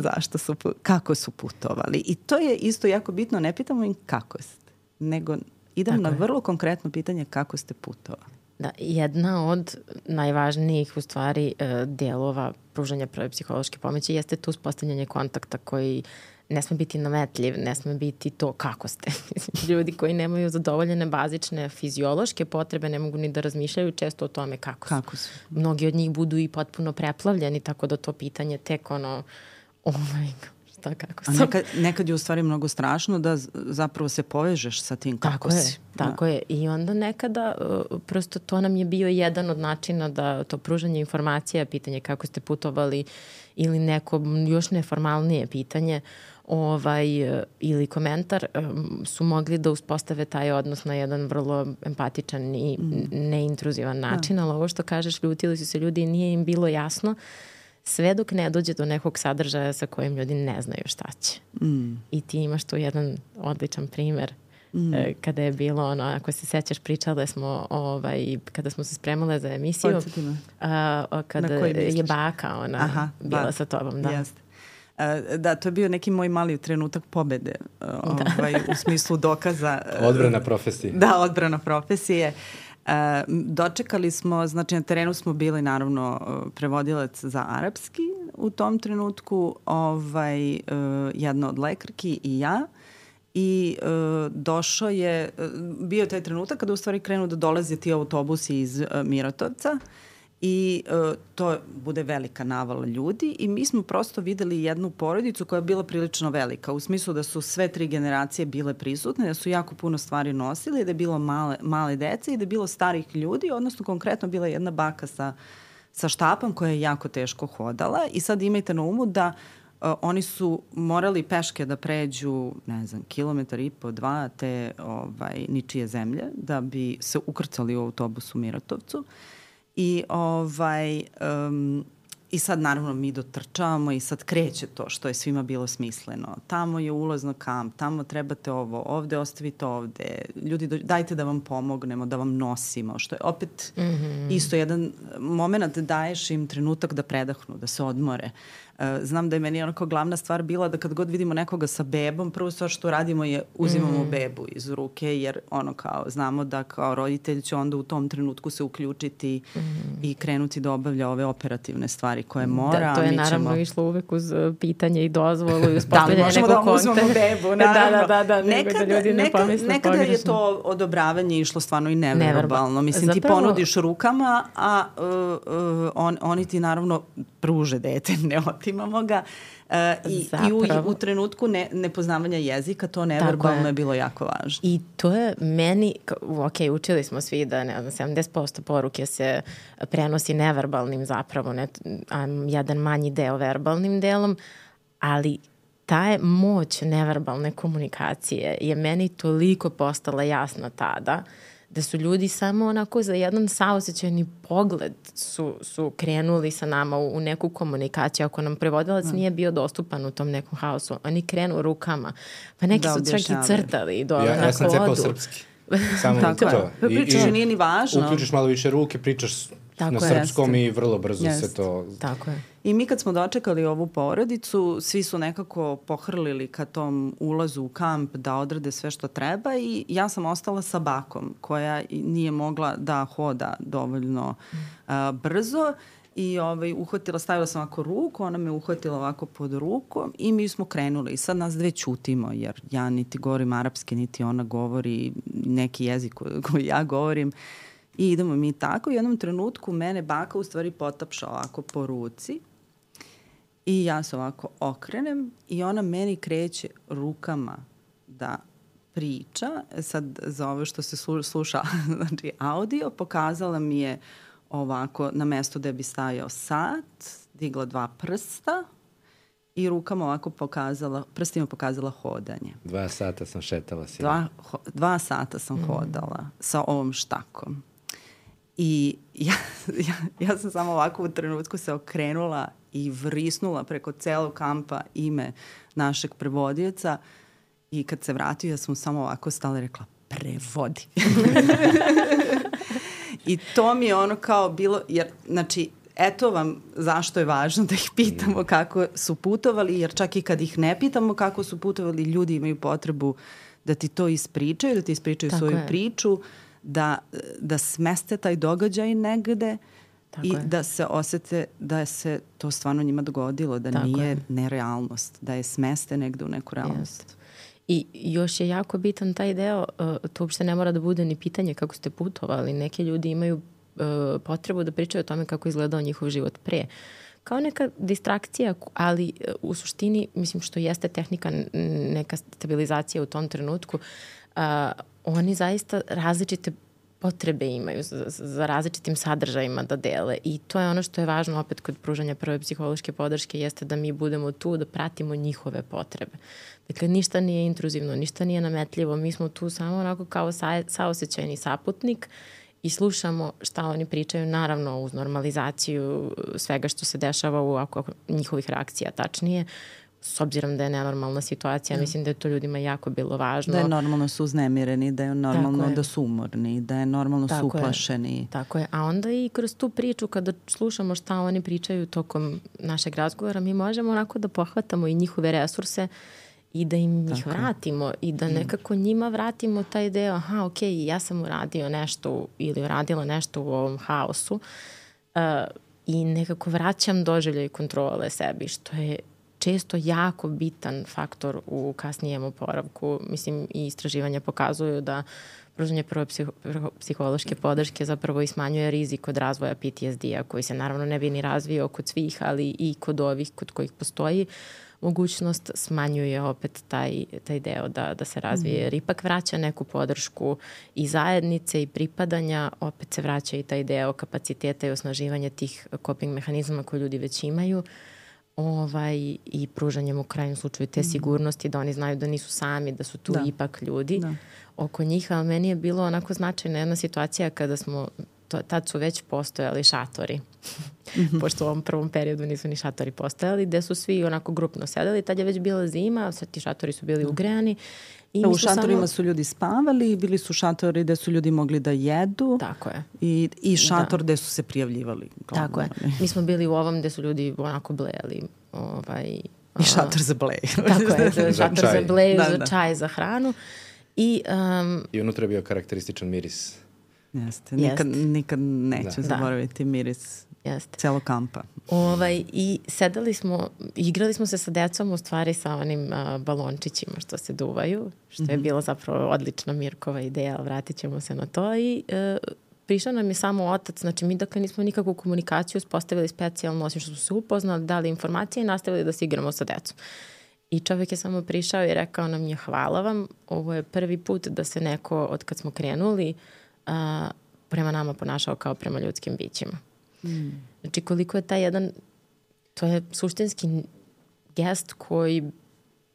kako su putovali? I to je isto jako bitno, ne pitamo im kako ste, nego idem na vrlo konkretno pitanje kako ste putovali. Da, jedna od najvažnijih u stvari delova pružanja prve psihološke pomoći jeste to uspostavljanje kontakta koji ne sme biti nametljiv, ne sme biti to kako ste. Ljudi koji nemaju zadovoljene bazične fiziološke potrebe ne mogu ni da razmišljaju često o tome kako su. Mnogi od njih budu i potpuno preplavljeni, tako da to pitanje tek šta kako sam. Nekad je u stvari mnogo strašno da zapravo se povežeš sa tim kako si. Tako je. I onda nekada prosto to nam je bio jedan od načina da to pružanje informacija, pitanje kako ste putovali ili neko još neformalnije pitanje ili komentar su mogli da uspostave taj odnos na jedan vrlo empatičan i neintruzivan način, ali ovo što kažeš, ljutili su se ljudi i nije im bilo jasno sve dok ne dođe do nekog sadržaja sa kojim ljudi ne znaju šta će. I ti imaš tu jedan odličan primer kada je bilo ako se sećaš, pričale smo kada smo se spremale za emisiju, kada je baka bila sa tobom. Da. Jeste. Da, to je bio neki moj mali trenutak pobede u smislu dokaza. Odbrana profesije. Da, odbrana profesije. Dočekali smo, znači na terenu smo bili naravno prevodilac za arapski u tom trenutku, jedna od lekarki i ja. I došao je, bio taj trenutak kada u stvari krenu da dolaze ti autobusi iz Miratovca i to bude velika navala ljudi i mi smo prosto videli jednu porodicu koja je bila prilično velika, u smislu da su sve 3 generacije bile prisutne, da su jako puno stvari nosili, da je bilo male dece i da je bilo starih ljudi, odnosno konkretno bila jedna baka sa štapom koja je jako teško hodala i sad imajte na umu da oni su morali peške da pređu, ne znam, 1,5 km, 2 te ničije zemlje da bi se ukrcali u autobus u Miratovcu. I sad naravno mi dotrčavamo i sad kreće to što je svima bilo smisleno. Tamo je ulaz na kamp, tamo trebate ovo, ovde ostavite ovde, ljudi dajte da vam pomognemo, da vam nosimo, što je opet isto jedan moment, daješ im trenutak da predahnu, da se odmore. Znam da je meni onako glavna stvar bila da kad god vidimo nekoga sa bebom, prvo stvar što radimo je uzimamo bebu iz ruke, jer znamo da kao roditelj će onda u tom trenutku se uključiti i krenuti da obavlja ove operativne stvari koje mora. Da, to je naravno išlo uvek uz pitanje i dozvolu i uz postavljanje nekog konta. Da, možemo da uzmemo bebu, naravno. Da, nekada je to odobravanje išlo stvarno i neverbalno. Mislim, ti ponudiš rukama, a oni ti naravno pruže dete, ne otimamo ga. I u trenutku nepoznavanja jezika to neverbalno je bilo jako važno. I to je meni, učili smo svi da 70% poruke se prenosi neverbalnim zapravo, a jedan manji deo verbalnim delom, ali ta je moć neverbalne komunikacije je meni toliko postala jasna tada da su ljudi samo onako za jedan saosećajni pogled su krenuli sa nama u neku komunikaciju. Ako nam prevodilac nije bio dostupan u tom nekom haosu, oni krenu rukama. Pa neki su čak i crtali dole na kodu. Ja sam cepao srpski. Samo to. Pričaš nije ni važno. Uključiš malo više ruke, pričaš na srpskom i vrlo brzo se to... Tako je. I mi kad smo dočekali ovu porodicu, svi su nekako pohrlili ka tom ulazu u kamp da odrade sve što treba i ja sam ostala sa bakom koja nije mogla da hoda dovoljno brzo i stavila sam ovako ruku, ona me uhvatila ovako pod rukom i mi smo krenuli i sad nas dve ćutimo jer ja niti govorim arapski, niti ona govori neki jezik koji ja govorim. I idemo mi tako. U jednom trenutku mene baka u stvari potapša ovako po ruci i ja se ovako okrenem i ona meni kreće rukama da priča. Sad za ovo što se sluša znači audio, pokazala mi je ovako na mesto gde bi stajao sat, digla 2 prsta i rukama ovako prstima pokazala hodanje. 2 sata sam šetala si. 2 sata sam hodala sa ovom štakom. I ja sam samo ovako u trenutku se okrenula i vrisnula preko celog kampa ime našeg prevodioca i kad se vratio ja sam samo ovako stala i rekla prevodi. I to mi je ono kao bilo, jer znači eto vam zašto je važno da ih pitamo kako su putovali, jer čak i kad ih ne pitamo kako su putovali, ljudi imaju potrebu da ti to ispričaju, da ti ispričaju svoju priču, da smeste taj događaj negde i da se osete da se to stvarno njima dogodilo, da nije nerealnost, da je smeste negde u neku realnost. I još je jako bitan taj deo, to uopšte ne mora da bude ni pitanje kako ste putovali. Neki ljudi imaju potrebu da pričaju o tome kako izgledao njihov život pre. Kao neka distrakcija, ali u suštini, mislim, što jeste tehnika, neka stabilizacija u tom trenutku, oni zaista različite potrebe imaju za različitim sadržajima da dele i to je ono što je važno opet kod pružanja prve psihološke podrške, jeste da mi budemo tu da pratimo njihove potrebe. Dakle, ništa nije intruzivno, ništa nije nametljivo, mi smo tu samo onako kao saosećajni saputnik i slušamo šta oni pričaju, naravno uz normalizaciju svega što se dešava u njihovih reakcija, tačnije, s obzirom da je nenormalna situacija, mislim da je to ljudima jako bilo važno. Da je normalno su uznemireni, da je normalno da su umorni, da je normalno su uplašeni. Tako je, a onda i kroz tu priču kada slušamo šta oni pričaju tokom našeg razgovora, mi možemo onako da pohvatamo i njihove resurse i da im ih vratimo i da nekako njima vratimo taj deo, ja sam uradio nešto ili uradila nešto u ovom haosu i nekako vraćam doživljaj kontrole sebi, što je često jako bitan faktor u kasnijem oporavku. Mislim, i istraživanja pokazuju da pružanje prve psihološke podrške zapravo i smanjuje rizik od razvoja PTSD-a, koji se naravno ne bi ni razvio kod svih, ali i kod ovih kod kojih postoji mogućnost, smanjuje opet taj deo da se razvije. Jer ipak vraća neku podršku i zajednice i pripadanja, opet se vraća i taj deo kapaciteta i osnaživanja tih coping mehanizama koje ljudi već imaju. I pružanjem u krajnjem slučaju te sigurnosti da oni znaju da nisu sami, da su tu ipak ljudi oko njih, ali meni je bilo onako značajna jedna situacija kada smo, tad su već postojali šatori, pošto u ovom prvom periodu nisu ni šatori postojali, gde su svi onako grupno sedeli, tad je već bila zima, sad ti šatori su bili ugrejani. U šatorima su ljudi spavali, bili su šatori gde su ljudi mogli da jedu. Tako je. I šator gde su se prijavljivali. Tako je. Mi smo bili u ovom gde su ljudi onako blejali. I šator za blej. Tako je, šator za blej, za čaj, za hranu. I unutra je bio karakterističan miris. Jeste, nikad neću zaboraviti miris celog kampa. I sedali smo, igrali smo se sa decom u stvari sa onim balončićima što se duvaju, što je bila zapravo odlična Mirkova ideja, ali vratit ćemo se na to i prišao nam je samo otac, znači mi dakle nismo nikakvu komunikaciju uspostavili specijalno, osim što smo se upoznali, dali informacije i nastavili da se igramo sa decom. I čovjek je samo prišao i rekao nam je hvala vam, ovo je prvi put da se neko od kad smo krenuli prema nama ponašao kao prema ljudskim bićima. Znači koliko je taj jedan, to je suštinski gest koji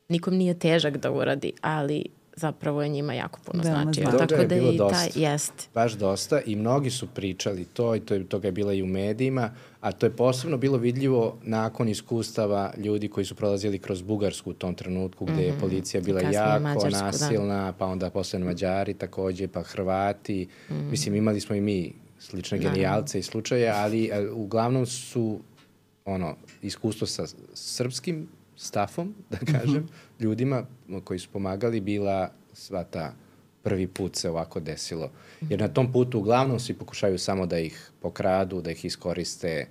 nikom nije težak da uradi, ali zapravo je njima jako puno značio. Tako da je bilo dosta. Baš dosta i mnogi su pričali to i toga je bila i u medijima, a to je posebno bilo vidljivo nakon iskustava ljudi koji su prolazili kroz Bugarsku u tom trenutku gde je policija bila jako nasilna, pa onda posle Mađari takođe, pa Hrvati. Mislim, imali smo i mi slične genijalce i slučaje, ali uglavnom su iskustvo sa srpskim stafom, da kažem, ljudima koji su pomagali bila sva ta prvi put se ovako desilo. Jer na tom putu uglavnom svi pokušaju samo da ih pokradu, da ih iskoriste,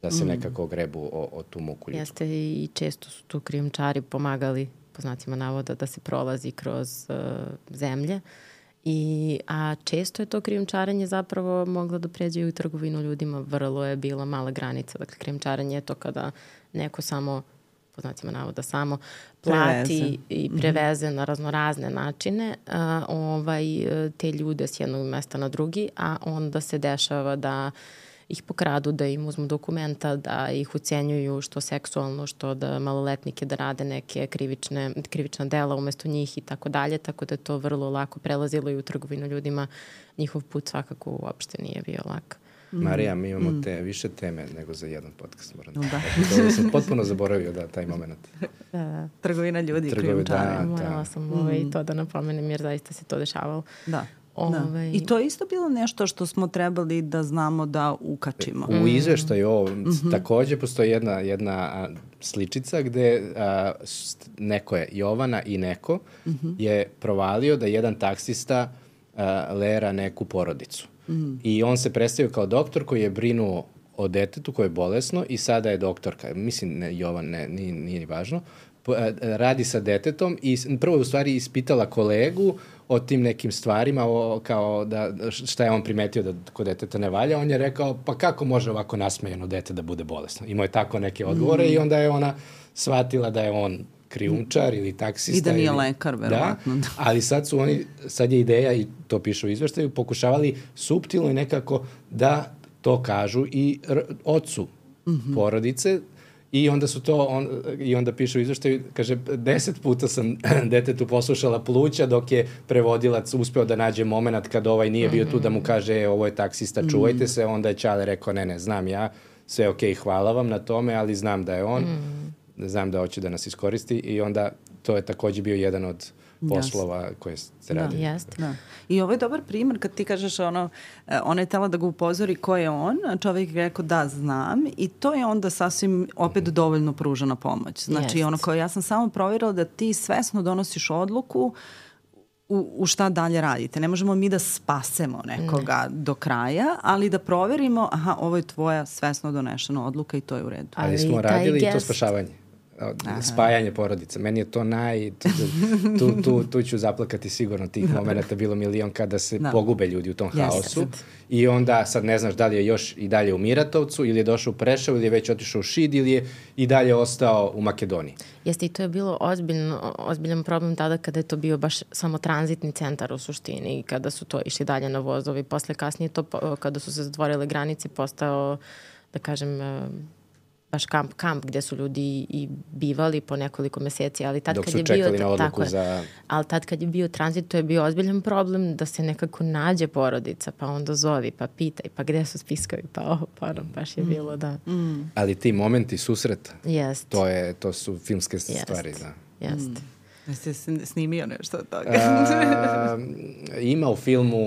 da se nekako grebu o tu muku ljudsku. Jeste i često su tu krijumčari pomagali, po znacima navoda, da se prolazi kroz zemlje. A često je to krijumčarenje zapravo moglo da pređe u trgovinu ljudima. Vrlo je bila mala granica. Dakle, krijumčarenje je to kada neko samo, po znacima navoda, samo plati i preveze na raznorazne načine te ljude s jednog mesta na drugi, a onda se dešava da ih pokradu, da im uzmu dokumenta, da ih ucenjuju što seksualno, što da maloletnike da rade neke krivična dela umesto njih i tako dalje, tako da je to vrlo lako prelazilo i u trgovinu ljudima. Njihov put svakako uopšte nije bio lak. Marija, mi imamo više teme nego za jedan podcast, moram da kažem. Sam potpuno zaboravio taj moment. Trgovina ljudi, krijumčari. Morala sam to da napomenem jer zaista se to dešavalo. Da. I to je isto bilo nešto što smo trebali da znamo da ukačimo. U izveštaju ovo takođe postoji jedna sličica gde neko je, Jovana i neko, je provalio da jedan taksista lera neku porodicu. i on se predstavio kao doktor koji je brinuo o detetu koje je bolesno i sada je doktorka. Mislim, Jovan, nije ni važno. Radi sa detetom i prvo je u stvari ispitala kolegu o tim nekim stvarima, kao da šta je on primetio da kod deteta ne valja. On je rekao, pa kako može ovako nasmejano dete da bude bolesno? Imao je tako neke odgovore i onda je ona shvatila da je on krijumčar ili taksista. I da nije lekar, verovatno. Da, ali sad je ideja, i to piše u izveštaju, pokušavali suptilno i nekako da to kažu i ocu porodice. I onda i onda piše u izveštaju, kaže, 10 puta sam detetu poslušala pluća dok je prevodilac uspeo da nađe moment kad ovaj nije bio tu da mu kaže ovo je taksista, čuvajte se, onda je Ćale rekao ne, znam ja, sve okej, hvala vam na tome, ali znam da je on, znam da hoće da nas iskoristi i onda to je takođe bio jedan od poslova koje se radi. Da. I ovo je dobar primer kad ti kažeš ona je tela da ga upozori ko je on, a čovjek je rekao da znam i to je onda sasvim opet dovoljno pružena pomoć. Znači ono kao ja sam samo provjerila da ti svesno donosiš odluku u šta dalje radite. Ne možemo mi da spasemo nekoga do kraja, ali da proverimo, ovo je tvoja svesno donešena odluka i to je u redu. Ali smo radili i to spašavanje. Spajanje porodica. Meni je to tu ću zaplakati sigurno tih momenta, bilo milion kada se pogube ljudi u tom haosu i onda sad ne znaš da li je još i dalje u Miratovcu ili je došao u Preševo ili je već otišao u Šid ili je i dalje ostao u Makedoniji. Jeste, i to je bilo ozbiljan problem tada kada je to bio baš samo tranzitni centar u suštini i kada su to išli dalje na vozovi. Posle kasnije to, kada su se zatvorile granice, postao, da kažem, baš kamp gde su ljudi i bivali po nekoliko meseci, ali tad kad je bio ali tad kad je bio tranzit, to je bio ozbiljan problem da se nekako nađe porodica, pa onda zovi, pa pitaj, pa gde su spiskovi, pa baš je bilo da. Ali ti momenti susreta, to su filmske stvari, da. Jeste. Jeste snimio nešto od toga? Ima u filmu,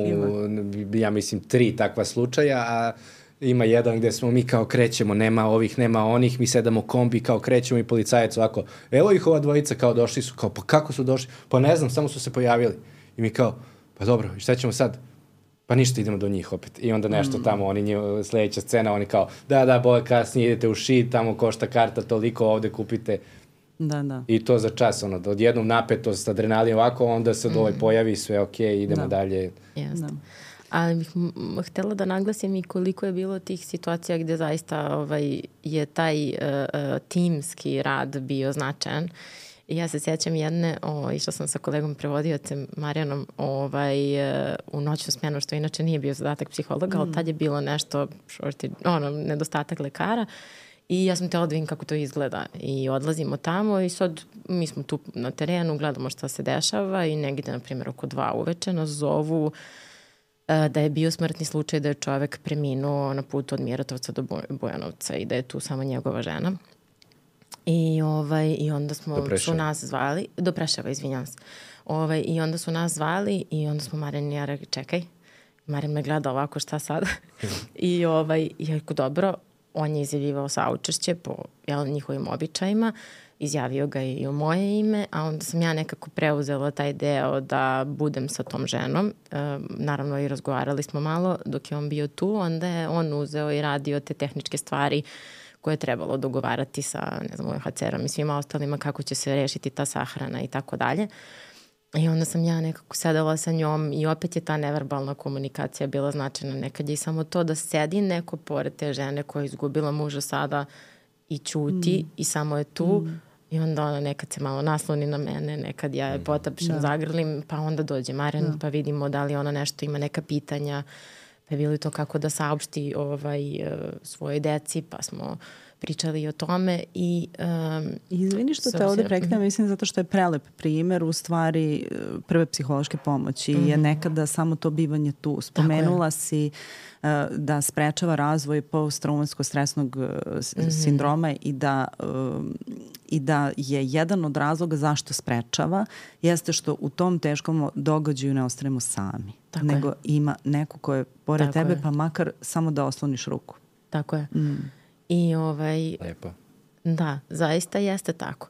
ja mislim, 3 takva slučaja, a ima jedan gde smo mi kao krećemo, nema ovih, nema onih, mi sedamo kombi, kao krećemo i policajac ovako, evo ih ova dvojica, kao došli su, kao pa kako su došli? Pa ne znam, samo su se pojavili. I mi kao, pa dobro, i šta ćemo sad? Pa ništa, idemo do njih opet. I onda nešto tamo, sledeća scena, oni kao, da, bolje kasnije idete u Šid, tamo košta karta toliko, ovde kupite. Da. I to za čas, odjednom napetost, adrenalin ovako, onda se pojavi sve okej, idemo dalje. Jeste. Ali bih htjela da naglasim i koliko je bilo tih situacija gde zaista je taj timski rad bio značajan. I ja se sjećam jedne, išla sam sa kolegom prevodiocem Marijanom u noćnu smjenu, što inače nije bio zadatak psihologa, ali tad je bilo nešto, nedostatak lekara. I ja sam htjela da vidim kako to izgleda. I odlazimo tamo i sad mi smo tu na terenu, gledamo šta se dešava i negdje, na primjer, oko 2 uveče nas zovu da je bio smrtni slučaj da je čovek preminuo na putu od Miratovca do Bujanovca i da je tu samo njegova žena. I onda su nas zvali, do Preševa, izvinjam se. I onda su nas zvali i onda smo Marijan i ja rekli, čekaj, Marijan me gleda ovako, šta sad? I ja rekao, dobro, on je izjavljivao saučešće po njihovim običajima, izjavio ga i u moje ime, a onda sam ja nekako preuzela taj deo da budem sa tom ženom. Naravno i razgovarali smo malo dok je on bio tu, onda je on uzeo i radio te tehničke stvari koje je trebalo dogovarati sa, UNHCR-om i svima ostalima kako će se rešiti ta sahrana i tako dalje. I onda sam ja nekako sedela sa njom i opet je ta neverbalna komunikacija bila značajna. Nekad je i samo to da sedi neko pored te žene koja je izgubila muža sada i ćuti i samo je tu i onda ona nekad se malo nasloni na mene, nekad ja je potapšem, zagrlim, pa onda dođe Marijan pa vidimo da li ona nešto ima neka pitanja, pa je bilo to kako da saopšti svoje deci, pa smo pričali o tome i... Izvini što te ovdje prekidam, mislim zato što je prelep primer u stvari prve psihološke pomoći je nekada samo to bivanje tu. Spomenula si da sprečava razvoj posttraumatskog stresnog sindroma i da je jedan od razloga zašto sprečava jeste što u tom teškom događaju ne ostajemo sami. Nego ima neko ko je pored tebe pa makar samo da osloniš ruku. Tako je. I Lepo. Da, zaista jeste tako.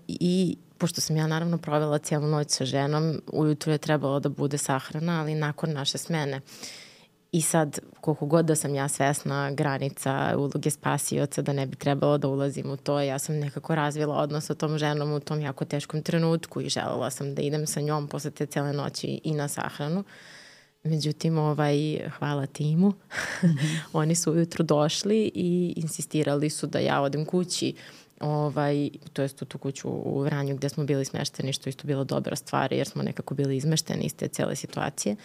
I pošto sam ja naravno provela cijelu noć sa ženom, ujutru je trebalo da bude sahrana, ali nakon naše smene. I sad, koliko god da sam ja svesna granica uloge spasioca, da ne bi trebalo da ulazim u to, ja sam nekako razvila odnos sa tom ženom u tom jako teškom trenutku i želela sam da idem sa njom posle te cele noći i na sahranu. Međutim, hvala timu. Oni su ujutru došli i insistirali su da ja odem kući, to jest u tu kuću u Vranju gde smo bili smešteni, što isto bila dobra stvar jer smo nekako bili izmešteni iz te cele situacije.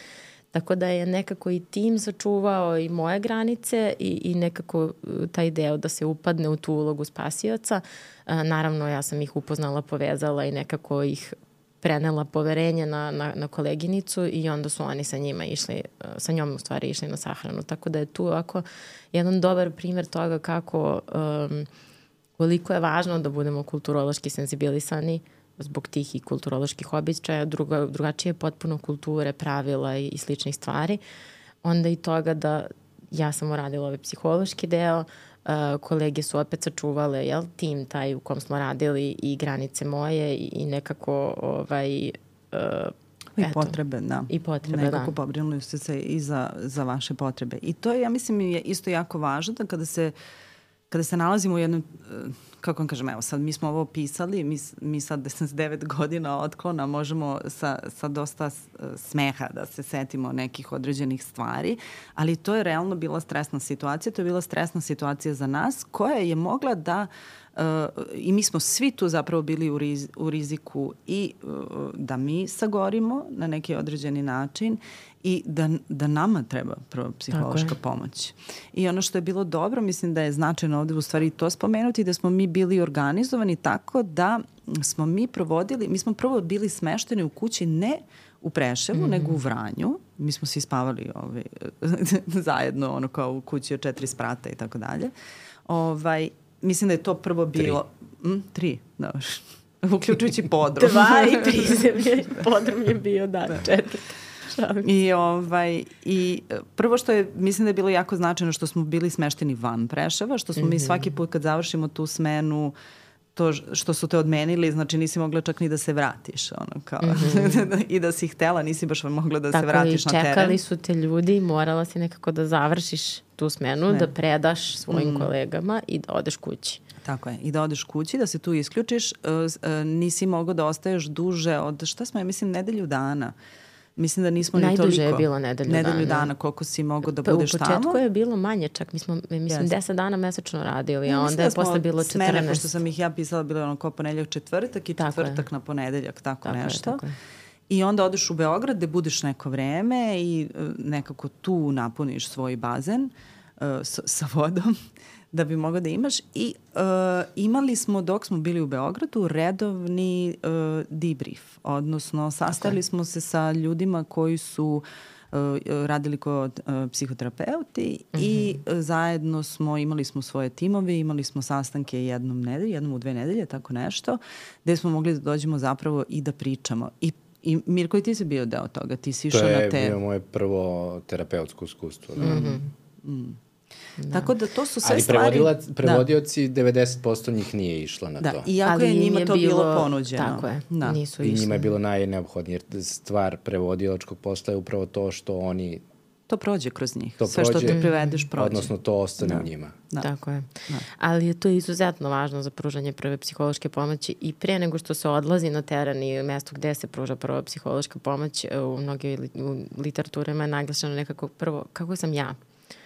Tako da je nekako i tim sačuvao i moje granice i nekako taj deo da se upadne u tu ulogu spasioca. Naravno, ja sam ih upoznala, povezala i nekako ih prenela poverenje na koleginicu i onda su oni sa njom u stvari išli na sahranu. Tako da je tu ovako jedan dobar primjer toga kako koliko je važno da budemo kulturološki senzibilisani zbog tih i kulturoloških običaja, drugačije potpuno kulture, pravila i sličnih stvari. Onda i toga da ja sam uradila ovaj psihološki deo, kolege su opet sačuvale tim taj u kom smo radili i granice moje i nekako i potrebe, da. I potrebe, nekako pobrinuli ste se i za vaše potrebe. I to je, ja mislim, je isto jako važno da kada se nalazimo u jednom, kako vam kažem, evo sad mi smo ovo pisali, mi sad 9 godina otklona možemo sa dosta smeha da se setimo nekih određenih stvari, ali to je realno bila stresna situacija, to je bila stresna situacija za nas koja je mogla da i mi smo svi tu zapravo bili u riziku i da mi sagorimo na neki određeni način i da nama treba prvo psihološka pomoć. I ono što je bilo dobro, mislim da je značajno ovde u stvari to spomenuti, da smo mi bili organizovani tako da smo mi prvo bili smešteni u kući ne u Preševu, nego u Vranju. Mi smo svi spavali zajedno, kao u kući od 4 sprata i tako dalje. Mislim da je to prvo bilo... 3, da. Uključujući podrum. 2 i prizemlje. Podrum je bio, 4. I prvo što je, mislim da je bilo jako značajno što smo bili smešteni van Preševa, što smo mi svaki put kad završimo tu smenu, to što su te odmenili, znači nisi mogla čak ni da se vratiš. I da si htela, nisi baš mogla da se vratiš na teren. Tako i čekali su te ljudi, morala si nekako da završiš tu smenu, da predaš svojim kolegama i da odeš kući. Tako je, i da odeš kući, da se tu isključiš, nisi mogao da ostaješ duže od, šta smo, ja mislim, nedelju dana. Mislim da nismo ni toliko. Najduže je bilo nedelju dana. Koliko si mogao da budeš tamo. U početku je bilo manje čak. Mi smo, 10 dana mesečno radili, a onda je posle bilo 14. Smene, pošto sam ih ja pisala, bilo je kao ponedeljak, četvrtak i četvrtak na ponedeljak, tako nešto. Tako je. I onda odeš u Beograd gde budeš neko vreme i nekako tu napuniš svoj bazen sa vodom da bi mogao da imaš. I imali smo, dok smo bili u Beogradu, redovni debrief. Odnosno, sastali smo se sa ljudima koji su radili kod psihoterapeuti i zajedno imali smo svoje timove, imali smo sastanke jednom u 2 nedelje, tako nešto, gde smo mogli da dođemo zapravo i da pričamo. I Mirko, i ti si bio deo toga, ti si išao na te... To je bio moje prvo terapeutsko iskustvo. Da. Tako da to su sve stvari... Ali prevodioci, 90% njih nije išla na to. Iako je njima to bilo ponuđeno. Tako je, nisu išli. I njima je bilo najneophodnije, jer stvar prevodilačkog posla je upravo to što oni... To prođe kroz njih. Sve što te privedeš prođe. Odnosno to ostane u njima. Tako je. Ali je to izuzetno važno za pružanje prve psihološke pomoći i pre nego što se odlazi na teren i mesto gde se pruža prva psihološka pomoć, u mnoge literaturama je naglašeno nekako prvo kako sam ja.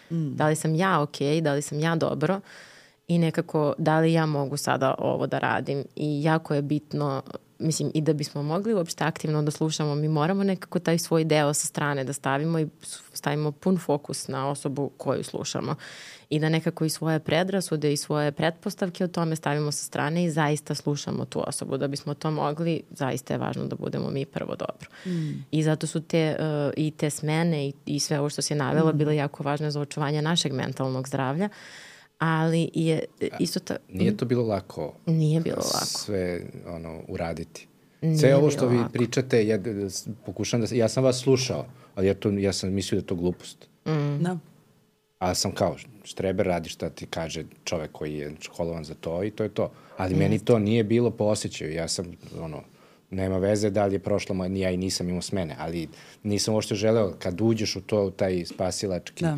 Da li sam ja okej, da li sam ja dobro i nekako da li ja mogu sada ovo da radim. I jako je bitno, mislim, i da bismo mogli uopšte aktivno da slušamo, mi moramo nekako taj svoj deo sa strane da stavimo i stavimo pun fokus na osobu koju slušamo. I da nekako i svoje predrasude i svoje pretpostavke o tome stavimo sa strane i zaista slušamo tu osobu. Da bismo to mogli, zaista je važno da budemo mi prvo dobro. I zato su te smene i sve ovo što se navelo bile jako važne za očuvanje našeg mentalnog zdravlja. Ali je isto tako... Nije to bilo lako. Nije bilo lako. Sve uraditi. Sve ovo što vi pričate, pokušam ja sam vas slušao, ali ja sam mislio da je to glupost. Da. Ali sam kao, štreber radi šta ti kaže čovek koji je školovan za to i to je to. Ali meni to nije bilo po osjećaju. Ja sam, Nema veze da li je prošla moja, ni ja i nisam imao smene, ali nisam uopšte želeo kad uđeš u to, taj spasilački... Da.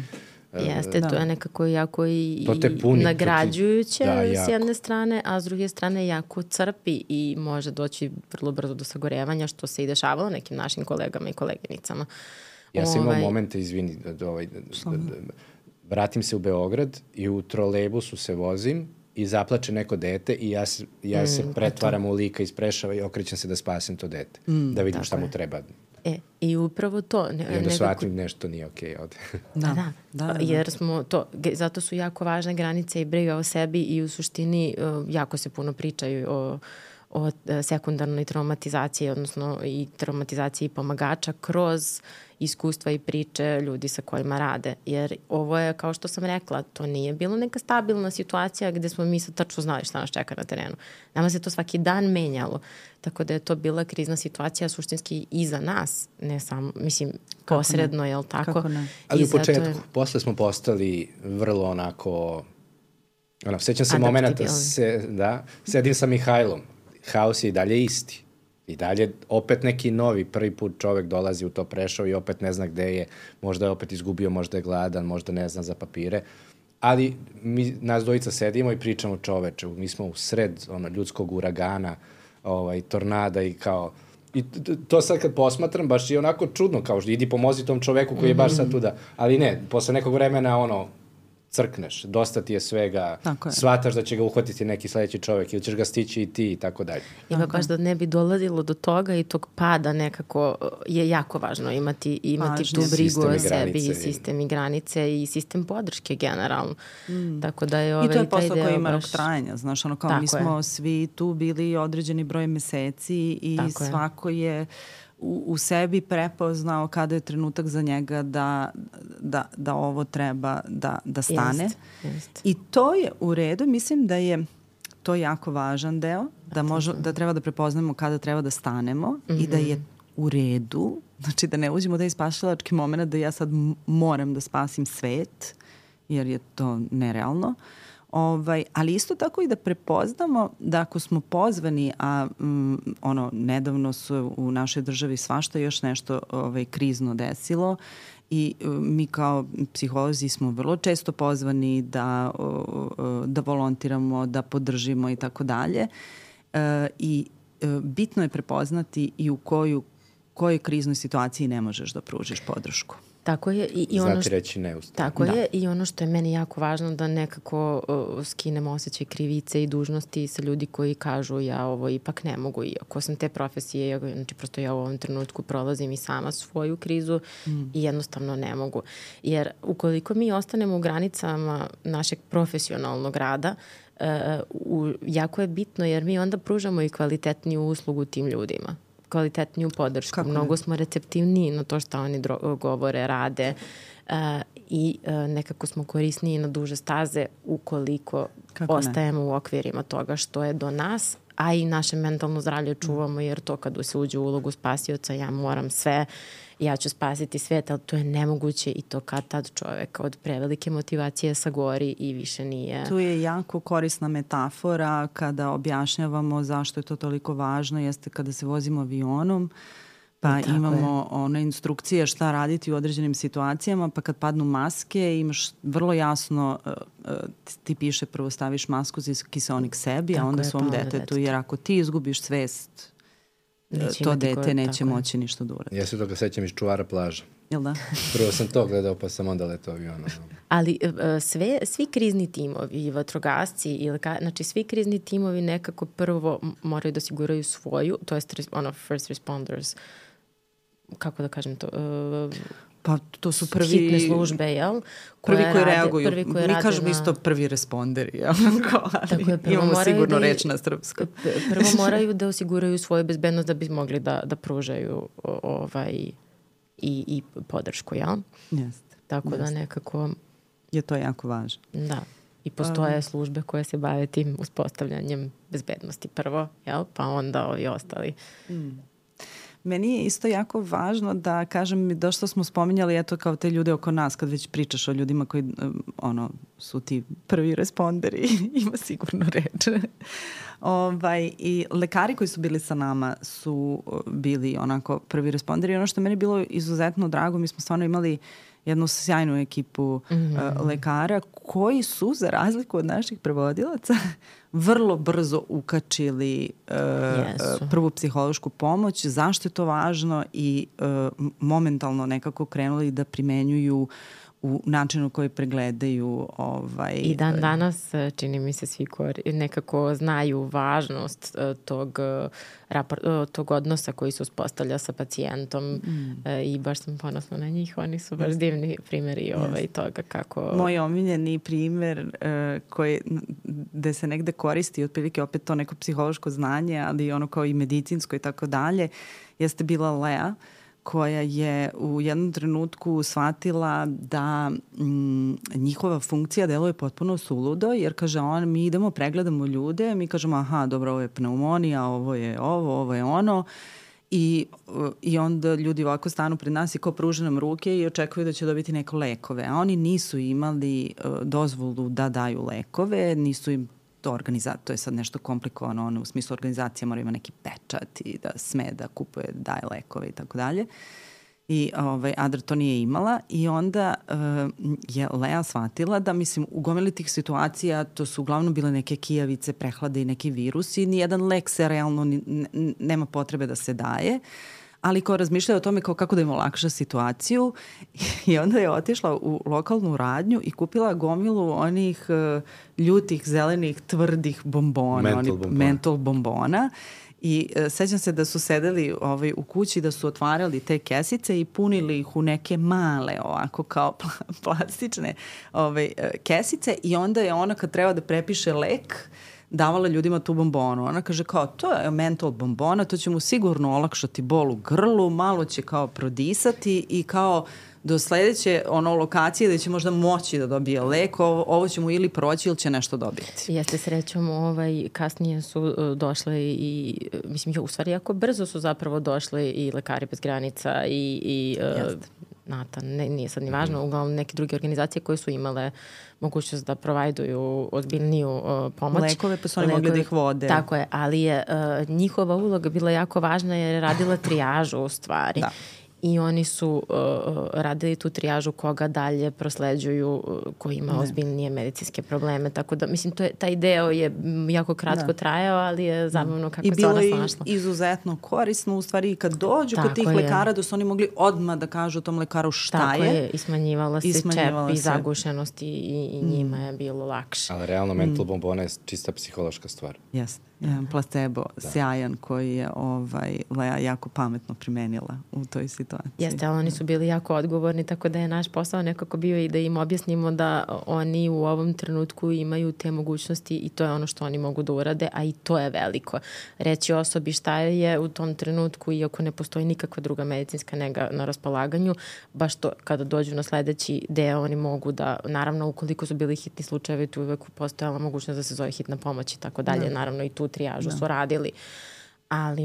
Jeste, to je nekako jako i puni, nagrađujuće s jedne strane, a s druge strane jako crpi i može doći vrlo brzo do sagorevanja, što se i dešavalo nekim našim kolegama i koleginicama. Ja sam imao momente, izvini, vratim se u Beograd i u trolejbusu se vozim i zaplače neko dete i ja se pretvaram u lika iz Preševa i okrećem se da spasim to dete, da vidim šta mu treba. I upravo to. I onda shvatim nešto nije okej ovde. Da. Jer smo to, zato su jako važne granice i briga o sebi i u suštini jako se puno pričaju o sekundarnoj traumatizaciji, odnosno i traumatizaciji pomagača kroz iskustva i priče ljudi sa kojima rade. Jer ovo je, kao što sam rekla, to nije bilo neka stabilna situacija gde smo mi sad tačno znali šta nas čeka na terenu. Nama se to svaki dan menjalo. Tako da je to bila krizna situacija suštinski i za nas. Ne samo, mislim, posredno, jel tako? Kako ne? Ali u početku, posle smo postali vrlo onako... Sećam se momenta, sedim sa Mihajlom. Haos je i dalje isti. I dalje opet neki novi, prvi put čovek dolazi u to Preševo i opet ne zna gde je, možda je opet izgubio, možda je gladan, možda ne zna za papire. Ali nas dvojica sedimo i pričamo čoveče, mi smo u sred ljudskog uragana, tornada i kao... I to sad kad posmatram, baš je onako čudno, kao što idi pomozi tom čoveku koji je baš sad tu da... Ali ne, posle nekog vremena crkneš, dosta ti je svega, shvataš da će ga uhvatiti neki sledeći čovek ili ćeš ga stići i ti i tako dalje. Ima baš da ne bi dolazilo do toga i tog pada nekako je jako važno imati tu brigu o sebi i sistem i granice i sistem podrške generalno. Tako da je i to je posao koji ima rok trajanja, znaš, kao mi smo svi tu bili određeni broj meseci i svako je u sebi prepoznao kada je trenutak za njega da ovo treba da stane. Jest. I to je u redu. Mislim da je to jako važan deo, da treba da prepoznamo kada treba da stanemo i da je u redu. Znači da ne uđemo da je spasilački moment da ja sad moram da spasim svet, jer je to nerealno. Ali isto tako i da prepoznamo da ako smo pozvani, a nedavno su u našoj državi svašta još nešto krizno desilo i mi kao psiholozi smo vrlo često pozvani da volontiramo, da podržimo i tako dalje. I bitno je prepoznati i u kojoj kriznoj situaciji ne možeš da pružiš podršku. Tako je i ono što je meni jako važno da nekako skinemo osjećaj krivice i dužnosti sa ljudi koji kažu ja ovo ipak ne mogu, iako sam te profesije, znači prosto ja u ovom trenutku prolazim i sama svoju krizu i jednostavno ne mogu. Jer ukoliko mi ostanemo u granicama našeg profesionalnog rada, jako je bitno jer mi onda pružamo i kvalitetniju uslugu tim ljudima, kvalitetniju podršku. Mnogo smo receptivniji na to što oni govore, rade i nekako smo korisniji na duže staze ukoliko ostajemo u okvirima toga što je do nas, a i naše mentalno zdravlje čuvamo, jer to kad se uđe u ulogu spasioca, ja moram sve, ja ću spasiti svijet, ali to je nemoguće i to kad tad čovek od prevelike motivacije sagori i više nije. Tu je jako korisna metafora kada objašnjavamo zašto je to toliko važno, jeste kada se vozimo avionom, pa imamo one instrukcije šta raditi u određenim situacijama, pa kad padnu maske imaš vrlo jasno, ti piše prvo staviš masku za kiseonik sebi, a onda svom detetu, jer ako ti izgubiš svest, to dete neće moći ništa da uradi. Ja se toga sećam iz Čuvara plaža. Jel da? Prvo sam to gledao, pa sam onda letao avionom. Ali svi krizni timovi, vatrogasci, znači svi krizni timovi nekako prvo moraju da osiguraju svoju, to je first responders, kako da kažem to... Pa to su prvi... hitne službe, jel? Prvi koji reaguju. Mi kažemo isto prvi responderi, jel? Imamo sigurno reč na srpskom. Prvo moraju da osiguraju svoju bezbednost da bi mogli da pružaju i podršku, jel? Jeste. Tako da nekako... Je to jako važno. Da. I postoje službe koje se bave tim uspostavljanjem bezbednosti prvo, jel? Pa onda ovi ostali... Meni je isto jako važno da kažem, došto smo spominjali, eto kao te ljude oko nas, kad već pričaš o ljudima koji su ti prvi responderi, ima sigurno reč. I lekari koji su bili sa nama su bili onako prvi responderi. Ono što meni je bilo izuzetno drago, mi smo stvarno imali jednu sjajnu ekipu lekara koji su, za razliku od naših prevodilaca, vrlo brzo ukačili prvu psihološku pomoć. Zašto je to važno i momentalno nekako krenuli da primenjuju u načinu koji pregledaju. I dan danas, čini mi se, svi nekako znaju važnost tog odnosa koji se uspostavlja sa pacijentom i baš sam ponosna na njih. Oni su baš divni primjeri toga kako... Moj omiljeni primer gde se negde koristi otprilike opet to neko psihološko znanje, ali ono kao i medicinsko i tako dalje, jeste bila Lea, koja je u jednom trenutku shvatila da njihova funkcija deluje potpuno suludo, jer kaže mi idemo, pregledamo ljude, mi kažemo aha, dobro, ovo je pneumonija, ovo je ono, i onda ljudi ovako stanu pred nas i kao pruže nam ruke i očekuju da će dobiti neko lekove, a oni nisu imali dozvolu da daju lekove, nisu im to je sad nešto komplikovano, u smislu organizacija mora ima neki pečat i da sme da kupuje, daje lekove i tako dalje. I Adra to nije imala i onda je Lea shvatila da, mislim, u gomili tih situacija to su uglavnom bile neke kijavice, prehlade i neki virusi, nijedan lek se realno nema potrebe da se daje, ali kao razmišljaju o tome kako da im olakša situaciju i onda je otišla u lokalnu radnju i kupila gomilu onih ljutih, zelenih, tvrdih bombona, mentol bombona. I sećam se da su sedeli u kući, da su otvarali te kesice i punili ih u neke male ovako kao plastične kesice i onda je ona kad treba da prepiše lek davala ljudima tu bombonu. Ona kaže kao, to je mentol bombona, to će mu sigurno olakšati bol u grlu, malo će kao prodisati i kao do sledeće lokacije da će možda moći da dobije lek, ovo će mu ili proći ili će nešto dobiti. Jeste, srećom, kasnije su došle i, mislim, u stvari jako brzo su zapravo došle i Lekari bez granica i NATO, nije sad ni važno, uglavnom neke druge organizacije koje su imale mogućnost da provajduju ozbiljniju pomoć. Lekove, pa su oni mogli da ih vode. Tako je, ali je njihova uloga bila jako važna jer je radila trijažu u stvari. Da. I oni su radili tu trijažu koga dalje prosleđuju, koji ima ozbiljnije medicinske probleme. Tako da, mislim, taj deo je jako kratko trajao, ali je zabavno kako se ona snašla. I bilo je izuzetno korisno, u stvari, kad dođu kod tih lekara, da su oni mogli odmah da kažu tom lekaru šta je. Tako je, i smanjivala se čep i zagušenost i njima je bilo lakše. Ali realno mentol bombona je čista psihološka stvar. Jeste. Jedan placebo sjajan koji je Lea jako pametno primenila u toj situaciji. Jeste, ali oni su bili jako odgovorni, tako da je naš posao nekako bio i da im objasnimo da oni u ovom trenutku imaju te mogućnosti i to je ono što oni mogu da urade, a i to je veliko. Reći osobi šta je u tom trenutku, iako ne postoji nikakva druga medicinska nega na raspolaganju, baš to kada dođu na sledeći deo oni mogu da, naravno ukoliko su bili hitni slučajevi, tu uvek postojala mogućnost da se zove hitna pomoć i tako dalje, naravno i tu trijažu su radili, ali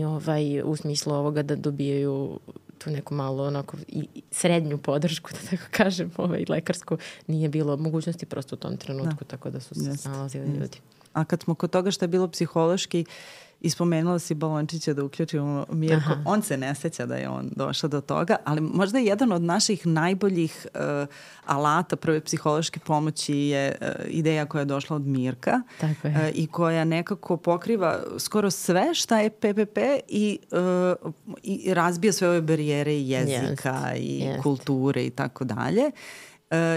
u smislu ovoga da dobijaju tu neku malo onako i srednju podršku, da tako kažem, lekarsku, nije bilo mogućnosti prosto u tom trenutku, tako da su se snalazili ljudi. A kad smo kod toga što je bilo psihološki, ispomenula si balončića da uključimo Mirko. On se ne seća da je on došao do toga, ali možda je jedan od naših najboljih alata prve psihološke pomoći je ideja koja je došla od Mirka i koja nekako pokriva skoro sve šta je PPP i razbija sve ove barijere i jezika i kulture i tako dalje.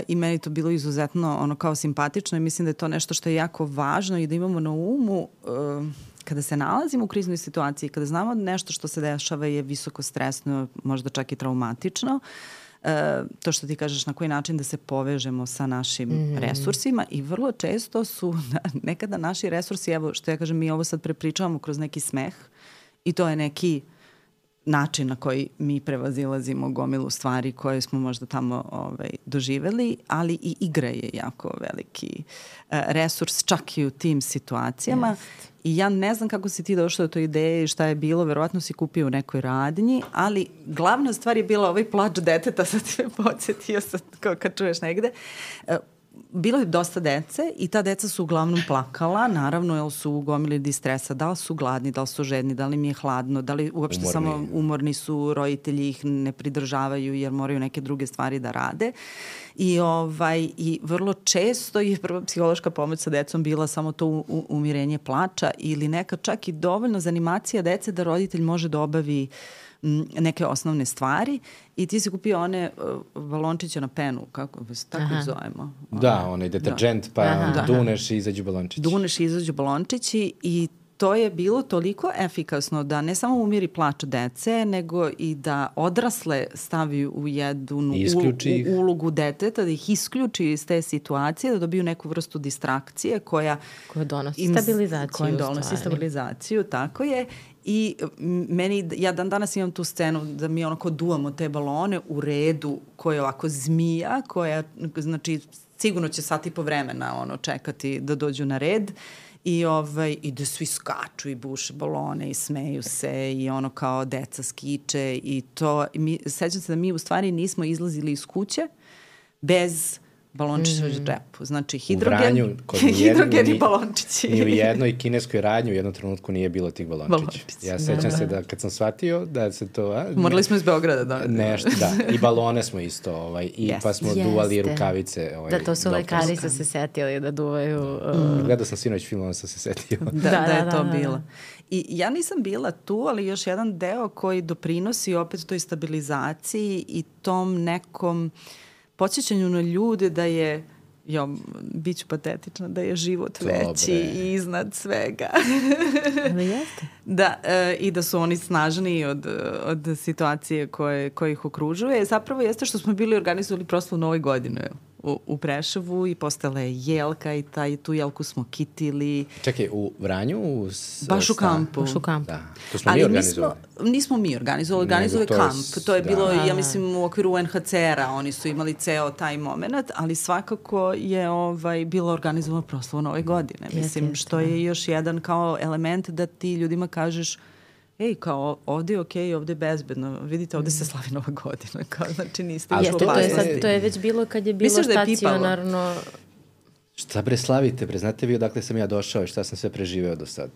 I meni to bilo izuzetno kao simpatično i mislim da je to nešto što je jako važno i da imamo na umu kada se nalazimo u kriznoj situaciji, kada znamo nešto što se dešava je visoko stresno, možda čak i traumatično, to što ti kažeš na koji način da se povežemo sa našim resursima i vrlo često su nekada naši resursi, evo što ja kažem, mi ovo sad prepričavamo kroz neki smeh i to je neki način na koji mi prevazilazimo gomilu stvari koje smo možda tamo doživeli, ali i igra je jako veliki resurs čak i u tim situacijama. I ja ne znam kako si ti došla do toj ideje i šta je bilo, verovatno si kupio u nekoj radnji, ali glavna stvar je bila ovaj plač deteta, sad ti me podsjetio sad kad čuješ negde. bilo je dosta dece i ta deca su uglavnom plakala, naravno, jer su ugomili distresa, da li su gladni, da li su žedni, da li im je hladno, da li uopšte samo umorni su, roditelji ih ne pridržavaju jer moraju neke druge stvari da rade. I vrlo često je prva psihološka pomoć sa decom bila samo to umirenje plača ili neka čak i dovoljno zanimacija dece da roditelj može da obavi neke osnovne stvari i ti si kupio one balončiće na penu, kako se tako zovemo? Da, onaj deterđent, pa duneš i izađu balončići. Duneš i izađu balončići i to je bilo toliko efikasno da ne samo umiri plač dece, nego i da odrasle stavi u jednu ulogu deteta, da ih isključi iz te situacije, da dobiju neku vrstu distrakcije koja donosi stabilizaciju. Koja donosi stabilizaciju, tako je. I ja dan danas imam tu scenu da mi onako duvamo te balone u redu koja je ovako zmija, koja, znači, sigurno će sat i po vremena čekati da dođu na red. I da svi skaču i buše balone i smeju se i kao deca skiče i to. Sećam se da mi u stvari nismo izlazili iz kuće bez balončića u džepu. Znači, hidrogen i balončići. Ni u jednoj kineskoj radnji u jednom trenutku nije bilo tih balončića. Ja sećam se da kad sam shvatio da se to... Morali smo iz Beograda, da. Nešto, da. I balone smo isto, pa smo duvali rukavice. Da, to su lekari su se setili da duvaju... Gledao sam sinoć film, on sam se setio. Da je to bilo. I ja nisam bila tu, ali još jedan deo koji doprinosi opet toj stabilizaciji i tom nekom podsjećanju na ljude da je, bit ću patetična, da je život veći i iznad svega. Da, i da su oni snažniji od situacije koje ih okružuje. Zapravo jeste što smo bili organizovali proslavu Nove godine u Preševu i postala je jelka i tu jelku smo kitili. Čekaj, u Vranju? Baš u kampu. Da, to smo mi organizovali. Nismo mi organizovali kamp. To je bilo, ja mislim, u okviru UNHCR-a. Oni su imali ceo taj moment, ali svakako je bilo organizovano proslavu Nove godine. Mislim, što je još jedan kao element da ti ljudima kažeš kao ovdje je okej, ovdje je bezbedno. Vidite, ovdje se slavi Nova godina. Kao, znači, niste to je već bilo kad je bilo stacionarno... Šta bre slavite, bre, znate vi odakle sam ja došao i šta sam sve preživeo do sad.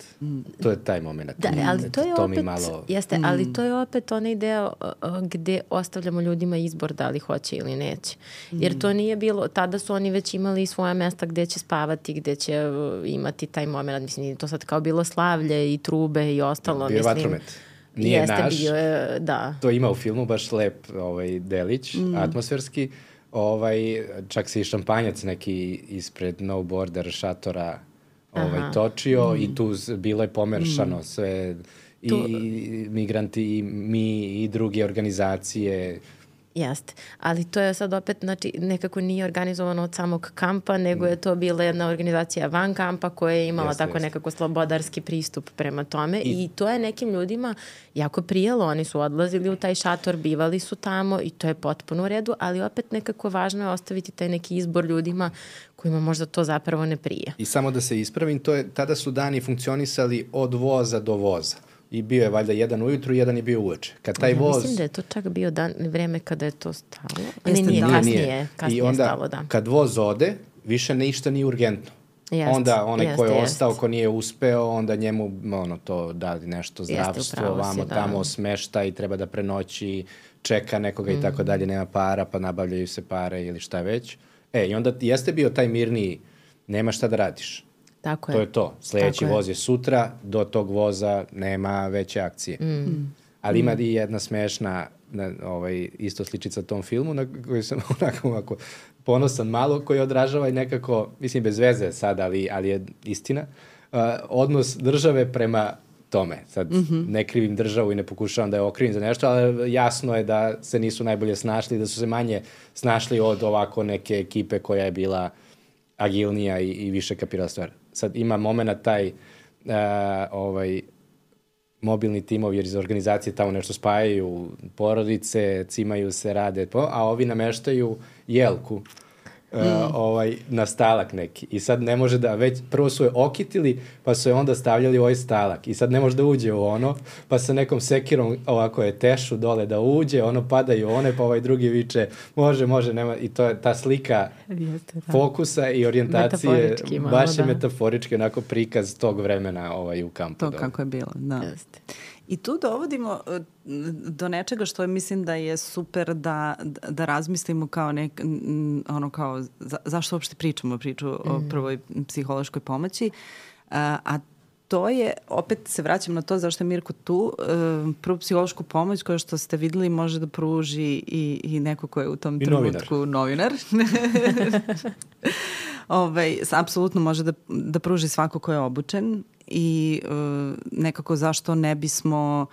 To je taj moment. Da, ali to je to opet, malo... ali to je opet onaj deo gde ostavljamo ljudima izbor da li hoće ili neće. Jer to nije bilo, tada su oni već imali svoja mesta gde će spavati, gde će imati taj moment. Mislim, to sad kao bilo slavlje i trube i ostalo. Bio vatromet. Nije naš. Bio je, da. To ima u filmu baš lep delić, atmosferski. Čak se i šampanjac neki ispred No Border šatora točio i tu bilo je pomeršano sve i migranti i mi i druge organizacije. Jeste, ali to je sad opet, znači, nekako nije organizovano od samog kampa, nego je to bila jedna organizacija van kampa koja je imala nekako slobodarski pristup prema tome i to je nekim ljudima jako prijelo. Oni su odlazili u taj šator, bivali su tamo i to je potpuno u redu, ali opet nekako važno je ostaviti taj neki izbor ljudima kojima možda to zapravo ne prije. I samo da se ispravim, tada su dani funkcionisali od voza do voza. I bio je valjda jedan ujutru, jedan je bio uveče. Kad taj voz... Mislim da je to čak bio vreme kada je to stalo. Nije, kasnije je stalo, da. Kad voz ode, više ništa nije urgentno. Onda onaj ko je ostao, ko nije uspeo, onda njemu to da nešto zdravstvo, vamo tamo smešta i treba da prenoći, čeka nekoga i tako dalje, nema para, pa nabavljaju se pare ili šta već. I onda jeste bio taj mirniji, nema šta da radiš. Tako to je to. Sljedeći voz je sutra, do tog voza nema veće akcije. Ali ima i jedna smešna isto sličica tom filmu na koju sam onako ponosan malo, koji odražava i nekako, mislim bez veze sad, ali je istina, odnos države prema tome. Sad ne krivim državu i ne pokušavam da je okrivim za nešto, ali jasno je da se nisu najbolje snašli, da su se manje snašli od ovako neke ekipe koja je bila agilnija i više kapirala stvar. Sad ima moment taj mobilni timovi jer iz organizacije tamo nešto spajaju porodice, cimaju se, rade, a ovi nameštaju jelku na stalak neki. I sad ne može da, već prvo su je okitili, pa su je onda stavljali u ovaj stalak. I sad ne može da uđe u ono, pa sa nekom sekirom ovako je tešu dole da uđe, ono padaju one, pa ovaj drugi viče, može, nema. I to je ta slika fokusa i orijentacije, baš je metaforički onako prikaz tog vremena u kampu. To kako je bilo, da. Jeste. I tu dovodimo do nečega što mislim da je super da razmislimo kao kao zašto uopšte pričamo priču o prvoj psihološkoj pomoći, a to je, opet se vraćam na to zašto je Mirko tu, prvu psihološku pomoć koja što ste videli može da pruži i neko ko je u tom trenutku novinar. Apsolutno može da pruži svako ko je obučen i nekako zašto ne bismo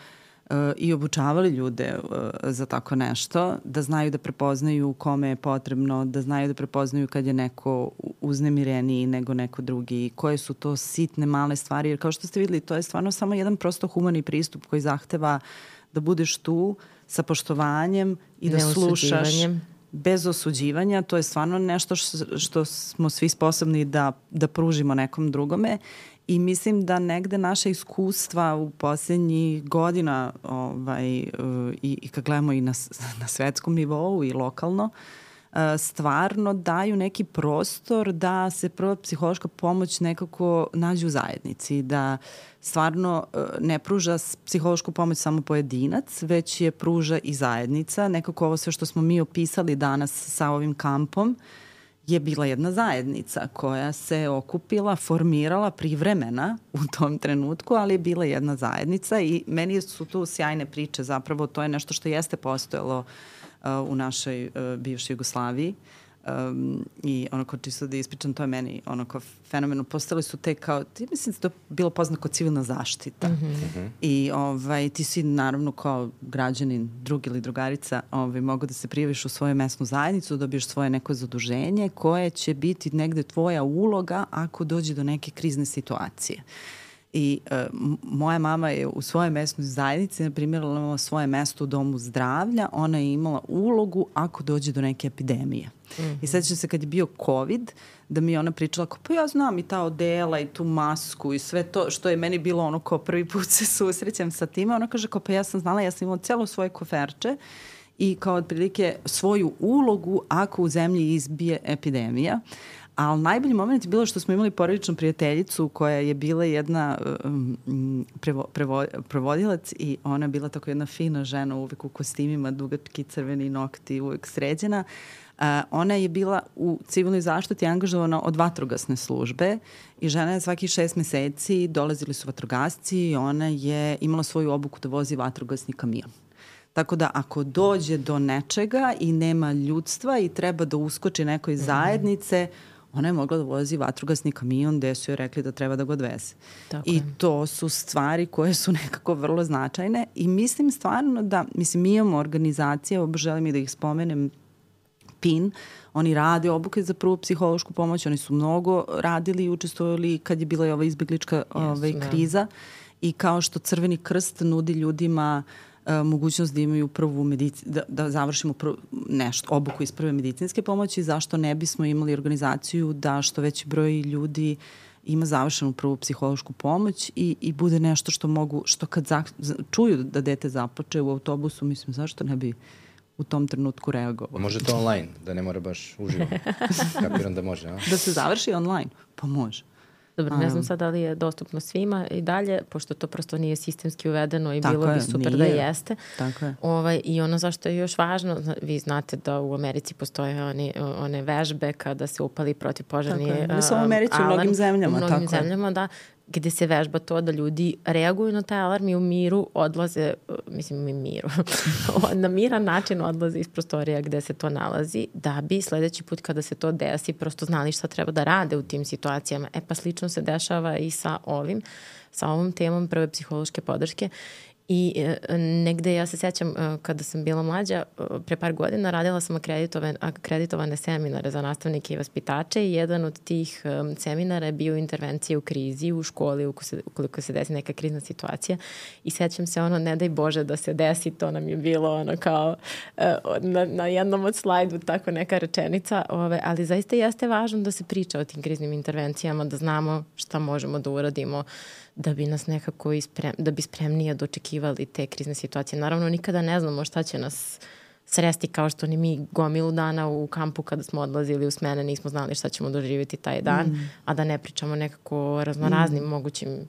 i obučavali ljude za tako nešto, da znaju da prepoznaju kome je potrebno, da znaju da prepoznaju kad je neko uznemireniji nego neko drugi, koje su to sitne male stvari, jer kao što ste videli, to je stvarno samo jedan prosto humani pristup koji zahteva da budeš tu sa poštovanjem i da slušaš bez osuđivanja. To je stvarno nešto što smo svi sposobni da pružimo nekom drugome. I mislim da negde naše iskustva u posljednjih godina i kad gledamo i na svetskom nivou i lokalno, stvarno daju neki prostor da se prva psihološka pomoć nekako nađe u zajednici, da stvarno ne pruža psihološku pomoć samo pojedinac, već je pruža i zajednica. Nekako ovo sve što smo mi opisali danas sa ovim kampom je bila jedna zajednica koja se okupila, formirala privremena u tom trenutku, ali je bila jedna zajednica i meni su tu sjajne priče, zapravo to je nešto što jeste postojalo u našoj bivšoj Jugoslaviji i onako čisto da ispričam, to je meni onako fenomeno. Postali su te kao, mislim da to bilo poznato kao civilna zaštita. I ti si naravno kao građanin, drug ili drugarica, mogu da se prijaviš u svoju mesnu zajednicu, dobiješ svoje neko zaduženje koje će biti negde tvoja uloga ako dođe do neke krizne situacije. I moja mama je u svojoj mesnoj zajednici, na primjer, imala svoje mesto u domu zdravlja, ona je imala ulogu ako dođe do neke epidemije. I sećam se kad je bio COVID, da mi je ona pričala kao, pa ja znam i ta odela i tu masku i sve to što je meni bilo ono kao prvi put se susrećem sa time. Ona kaže kao, pa ja sam znala, ja sam imala cijelo svoje koferče i kao otprilike svoju ulogu ako u zemlji izbije epidemija. Ali najbolji moment je bilo što smo imali porodičnu prijateljicu koja je bila jedna prevodilac i ona je bila tako jedna fina žena, uvek u kostimima, dugački crveni nokti, uvek sređena. Ona je bila u civilnoj zaštiti angažovana od vatrogasne službe i žena je svaki 6 meseci dolazili su vatrogasci i ona je imala svoju obuku da vozi vatrogasni kamion. Tako da ako dođe do nečega i nema ljudstva i treba da uskoči nekoj zajednice, ona je mogla da vozi vatrogasni kamion gde su joj rekli da treba da ga odveze. I to su stvari koje su nekako vrlo značajne i mislim stvarno da, mi imamo organizacije, želim i da ih spomenem, PIN, oni rade obuke za prvu psihološku pomoć, oni su mnogo radili i učestvovali kad je bila i ova izbeglička kriza i kao što Crveni krst nudi ljudima mogućnost da imaju da završimo obuku iz prve medicinske pomoći, zašto ne bismo imali organizaciju da što veći broj ljudi ima završenu prvu psihološku pomoć i bude nešto što mogu, što kad čuju da dete započe u autobusu, mislim, zašto ne bi u tom trenutku reagovao. Može to online, da ne mora baš uživo. Kapiram da može, a? Da se završi online? Pa može. Dobro, ne znam sad da li je dostupno svima i dalje, pošto to prosto nije sistemski uvedeno i bilo bi super da jeste. Tako je. I ono zašto je još važno, vi znate da u Americi postoje one vežbe kada se upali protivpožarni alarm. Ne samo u Americi, u mnogim zemljama. U mnogim zemljama, da, gde se vežba to da ljudi reaguju na taj alarm i u miru odlaze, na miran način odlaze iz prostorija gde se to nalazi, da bi sledeći put kada se to desi prosto znali šta treba da rade u tim situacijama. Pa slično se dešava i sa ovom temom prve psihološke podrške I negde ja se sećam kada sam bila mlađa, pre par godina radila sam akreditovane seminare za nastavnike i vaspitače i jedan od tih seminara je bio intervencija u krizi u školi ukoliko se desi neka krizna situacija i sećam se ne daj Bože da se desi, to nam je bilo kao na jednom od slajdu tako neka rečenica, ali zaista jeste važno da se priča o tim kriznim intervencijama, da znamo šta možemo da uradimo da bi nas nekako da bi spremnije dočekivali te krizne situacije. Naravno, nikada ne znamo šta će nas sresti, kao što ni mi gomilu dana u kampu kada smo odlazili u smene nismo znali šta ćemo doživjeti taj dan, a da ne pričamo nekako o raznoraznim mogućim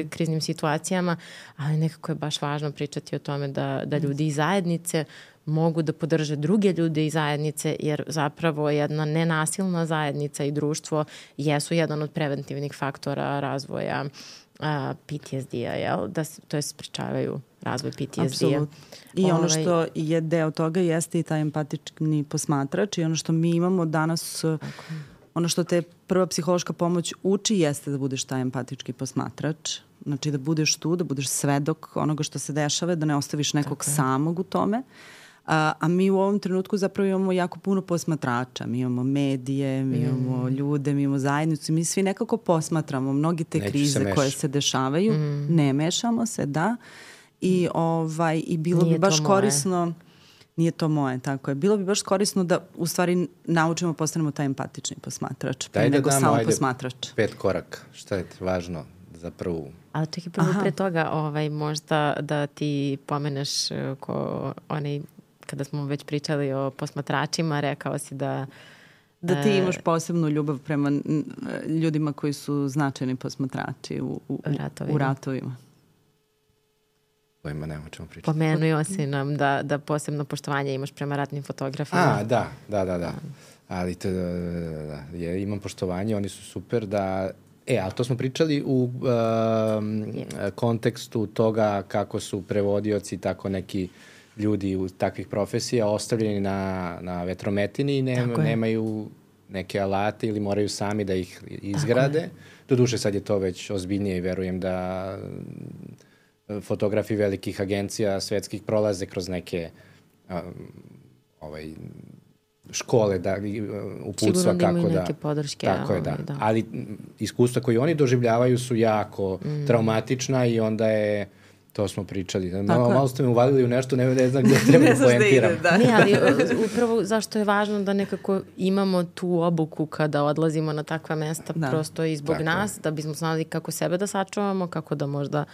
kriznim situacijama, ali nekako je baš važno pričati o tome da ljudi iz zajednice mogu da podrže druge ljude iz zajednice, jer zapravo jedna nenasilna zajednica i društvo jesu jedan od preventivnih faktora razvoja PTSD-a, to je sprečavaju razvoj PTSD-a. Apsolutno. I ono što je deo toga jeste i taj empatični posmatrač i ono što mi imamo danas, ono što te prva psihološka pomoć uči jeste da budeš taj empatički posmatrač. Znači da budeš tu, da budeš svedok onoga što se dešava, da ne ostaviš nekog samog u tome. A mi u ovom trenutku zapravo imamo jako puno posmatrača. Mi imamo medije, mi imamo ljude, mi imamo zajednicu. Mi svi nekako posmatramo mnogi te krize koje se dešavaju. Ne mešamo se, da. I bilo bi baš korisno... Nije to moje, tako je. Bilo bi baš korisno da u stvari naučimo, postanemo taj empatični posmatrač. Daj da nego damo, samo posmatrač. 5 koraka. Šta je važno za prvu? Ali čekaj, prvo pre toga možda da ti pomeneš kada smo već pričali o posmatračima, rekao si da ti imaš posebnu ljubav prema ljudima koji su značajni posmatrači u ratovima. Kojima nema čemu pričati. Pomenuo si nam da posebno poštovanje imaš prema ratnim fotografima. Da. Ali imam poštovanje, oni su super ali to smo pričali u kontekstu toga kako su prevodioci, tako neki ljudi u takvih profesija ostavljeni na vetrometini i nemaju neke alate ili moraju sami da ih izgrade. Doduše sad je to već ozbiljnije i verujem da fotografi velikih agencija svetskih prolaze kroz neke škole da uputstva kako da... podrške. Tako je, da. Ali iskustva koje oni doživljavaju su jako traumatična i onda je... To smo pričali. Malo ste me uvalili u nešto, ne znam gdje treba da poentiram. Ne, ali upravo zašto je važno da nekako imamo tu obuku kada odlazimo na takva mesta, prosto i zbog nas, da bismo znali kako sebe da sačuvamo, kako da možda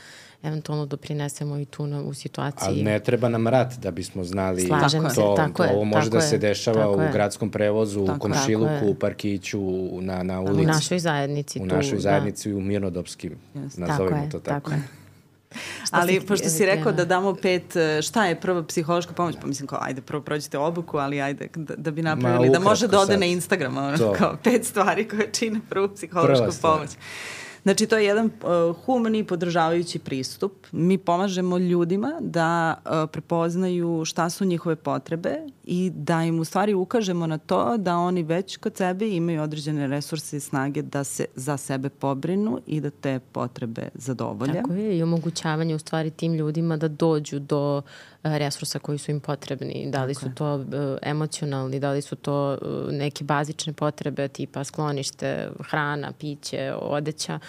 eventualno doprinesemo i tu u situaciji. Ali ne treba nam rat da bismo znali to. Ovo može da se dešava u gradskom prevozu, u komšiluku, u parkiću, na ulici. U našoj zajednici. U našoj zajednici i u mirnodopskim, nazovimo to tako. Ali pošto si rekao da damo 5, šta je prva psihološka pomoć? Pa mislim ajde prvo prođite obuku, ali ajde da bi napravili da može da ode na Instagram, kao 5 stvari koje čine prvu psihološku pomoć. Znači, to je jedan humani i podržavajući pristup. Mi pomažemo ljudima da prepoznaju šta su njihove potrebe i da im u stvari ukažemo na to da oni već kod sebe imaju određene resurse i snage da se za sebe pobrinu i da te potrebe zadovolje. Tako je, i omogućavanje u stvari tim ljudima da dođu do resursa koji su im potrebni. Da li su to emocionalni, da li su to neke bazične potrebe tipa sklonište, hrana, piće, odeća,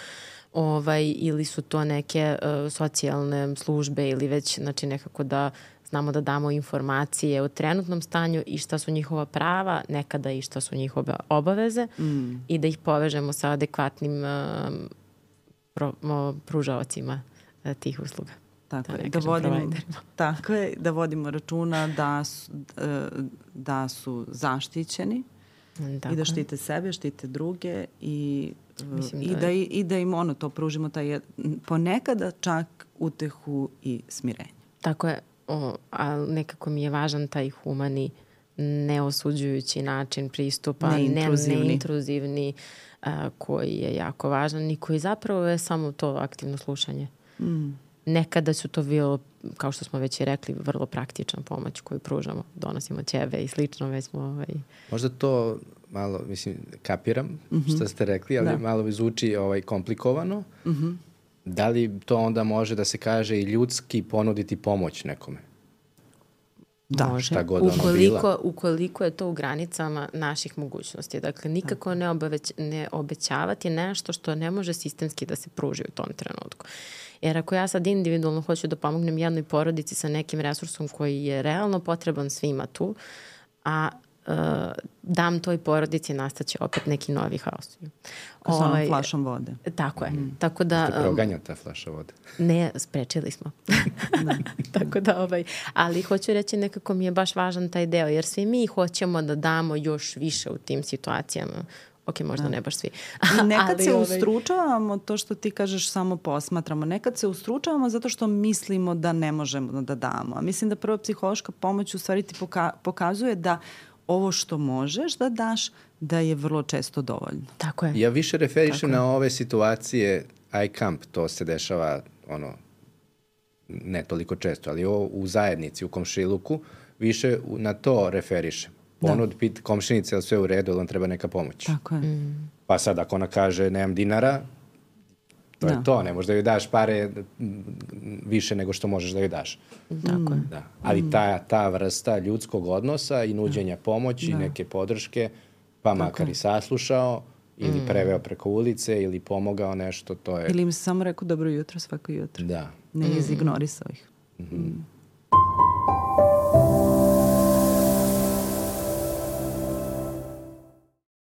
ili su to neke socijalne službe ili već nekako da znamo da damo informacije o trenutnom stanju i šta su njihova prava, nekada i šta su njihove obaveze i da ih povežemo sa adekvatnim pružaocima tih usluga. Tako je, da vodimo računa da su zaštićeni i da štite sebe, štite druge i da im to pružimo ponekada čak utehu i smirenje. Tako je, ali nekako mi je važan taj humani, neosuđujući način pristupa, neintruzivni, koji je jako važan i koji zapravo je samo to aktivno slušanje. Nekada su to bilo, kao što smo već i rekli, vrlo praktična pomoć koju pružamo. Donosimo ćebe i slično, već smo... Možda to malo, mislim, kapiram što ste rekli, ali malo zvuči komplikovano. Da li to onda može da se kaže i ljudski ponuditi pomoć nekome? Da, može. Šta god ono bila. Ukoliko je to u granicama naših mogućnosti. Dakle, nikako ne obećavati nešto što ne može sistemski da se pruži u tom trenutku. Jer ako ja sad individualno hoću da pomognem jednoj porodici sa nekim resursom koji je realno potreban svima tu, a dam toj porodici, nastaće opet neki novi haos. Kao sa onom flašom vode. Tako je. Tako da, Ste proganja ta flaša vode? Ne, sprečili smo. Tako da, ali hoću reći, nekako mi je baš važan taj deo, jer svi mi hoćemo da damo još više u tim situacijama. Ok, možda ne baš svi. I nekad se ustručavamo, to što ti kažeš samo posmatramo, nekad se ustručavamo zato što mislimo da ne možemo da damo. A mislim da prva psihološka pomoć u stvari ti pokazuje da ovo što možeš da daš, da je vrlo često dovoljno. Tako je. Ja više referišem na ove situacije iCamp, to se dešava ne toliko često, ali u zajednici, u komšiluku, više na to referišem. Ponud pit komšinice, ali sve u redu, ali on treba neka pomoć. Tako je. Pa sad ako ona kaže nemam dinara, to je to, ne možeš da joj daš pare više nego što možeš da joj daš. Tako je. Da. Ali ta vrsta ljudskog odnosa i nuđenja pomoći i neke podrške, pa makar i saslušao, ili preveo preko ulice, ili pomogao nešto, to je... Ili im se samo rekao dobro jutro svako jutro. Da. Ne izignorisao ih.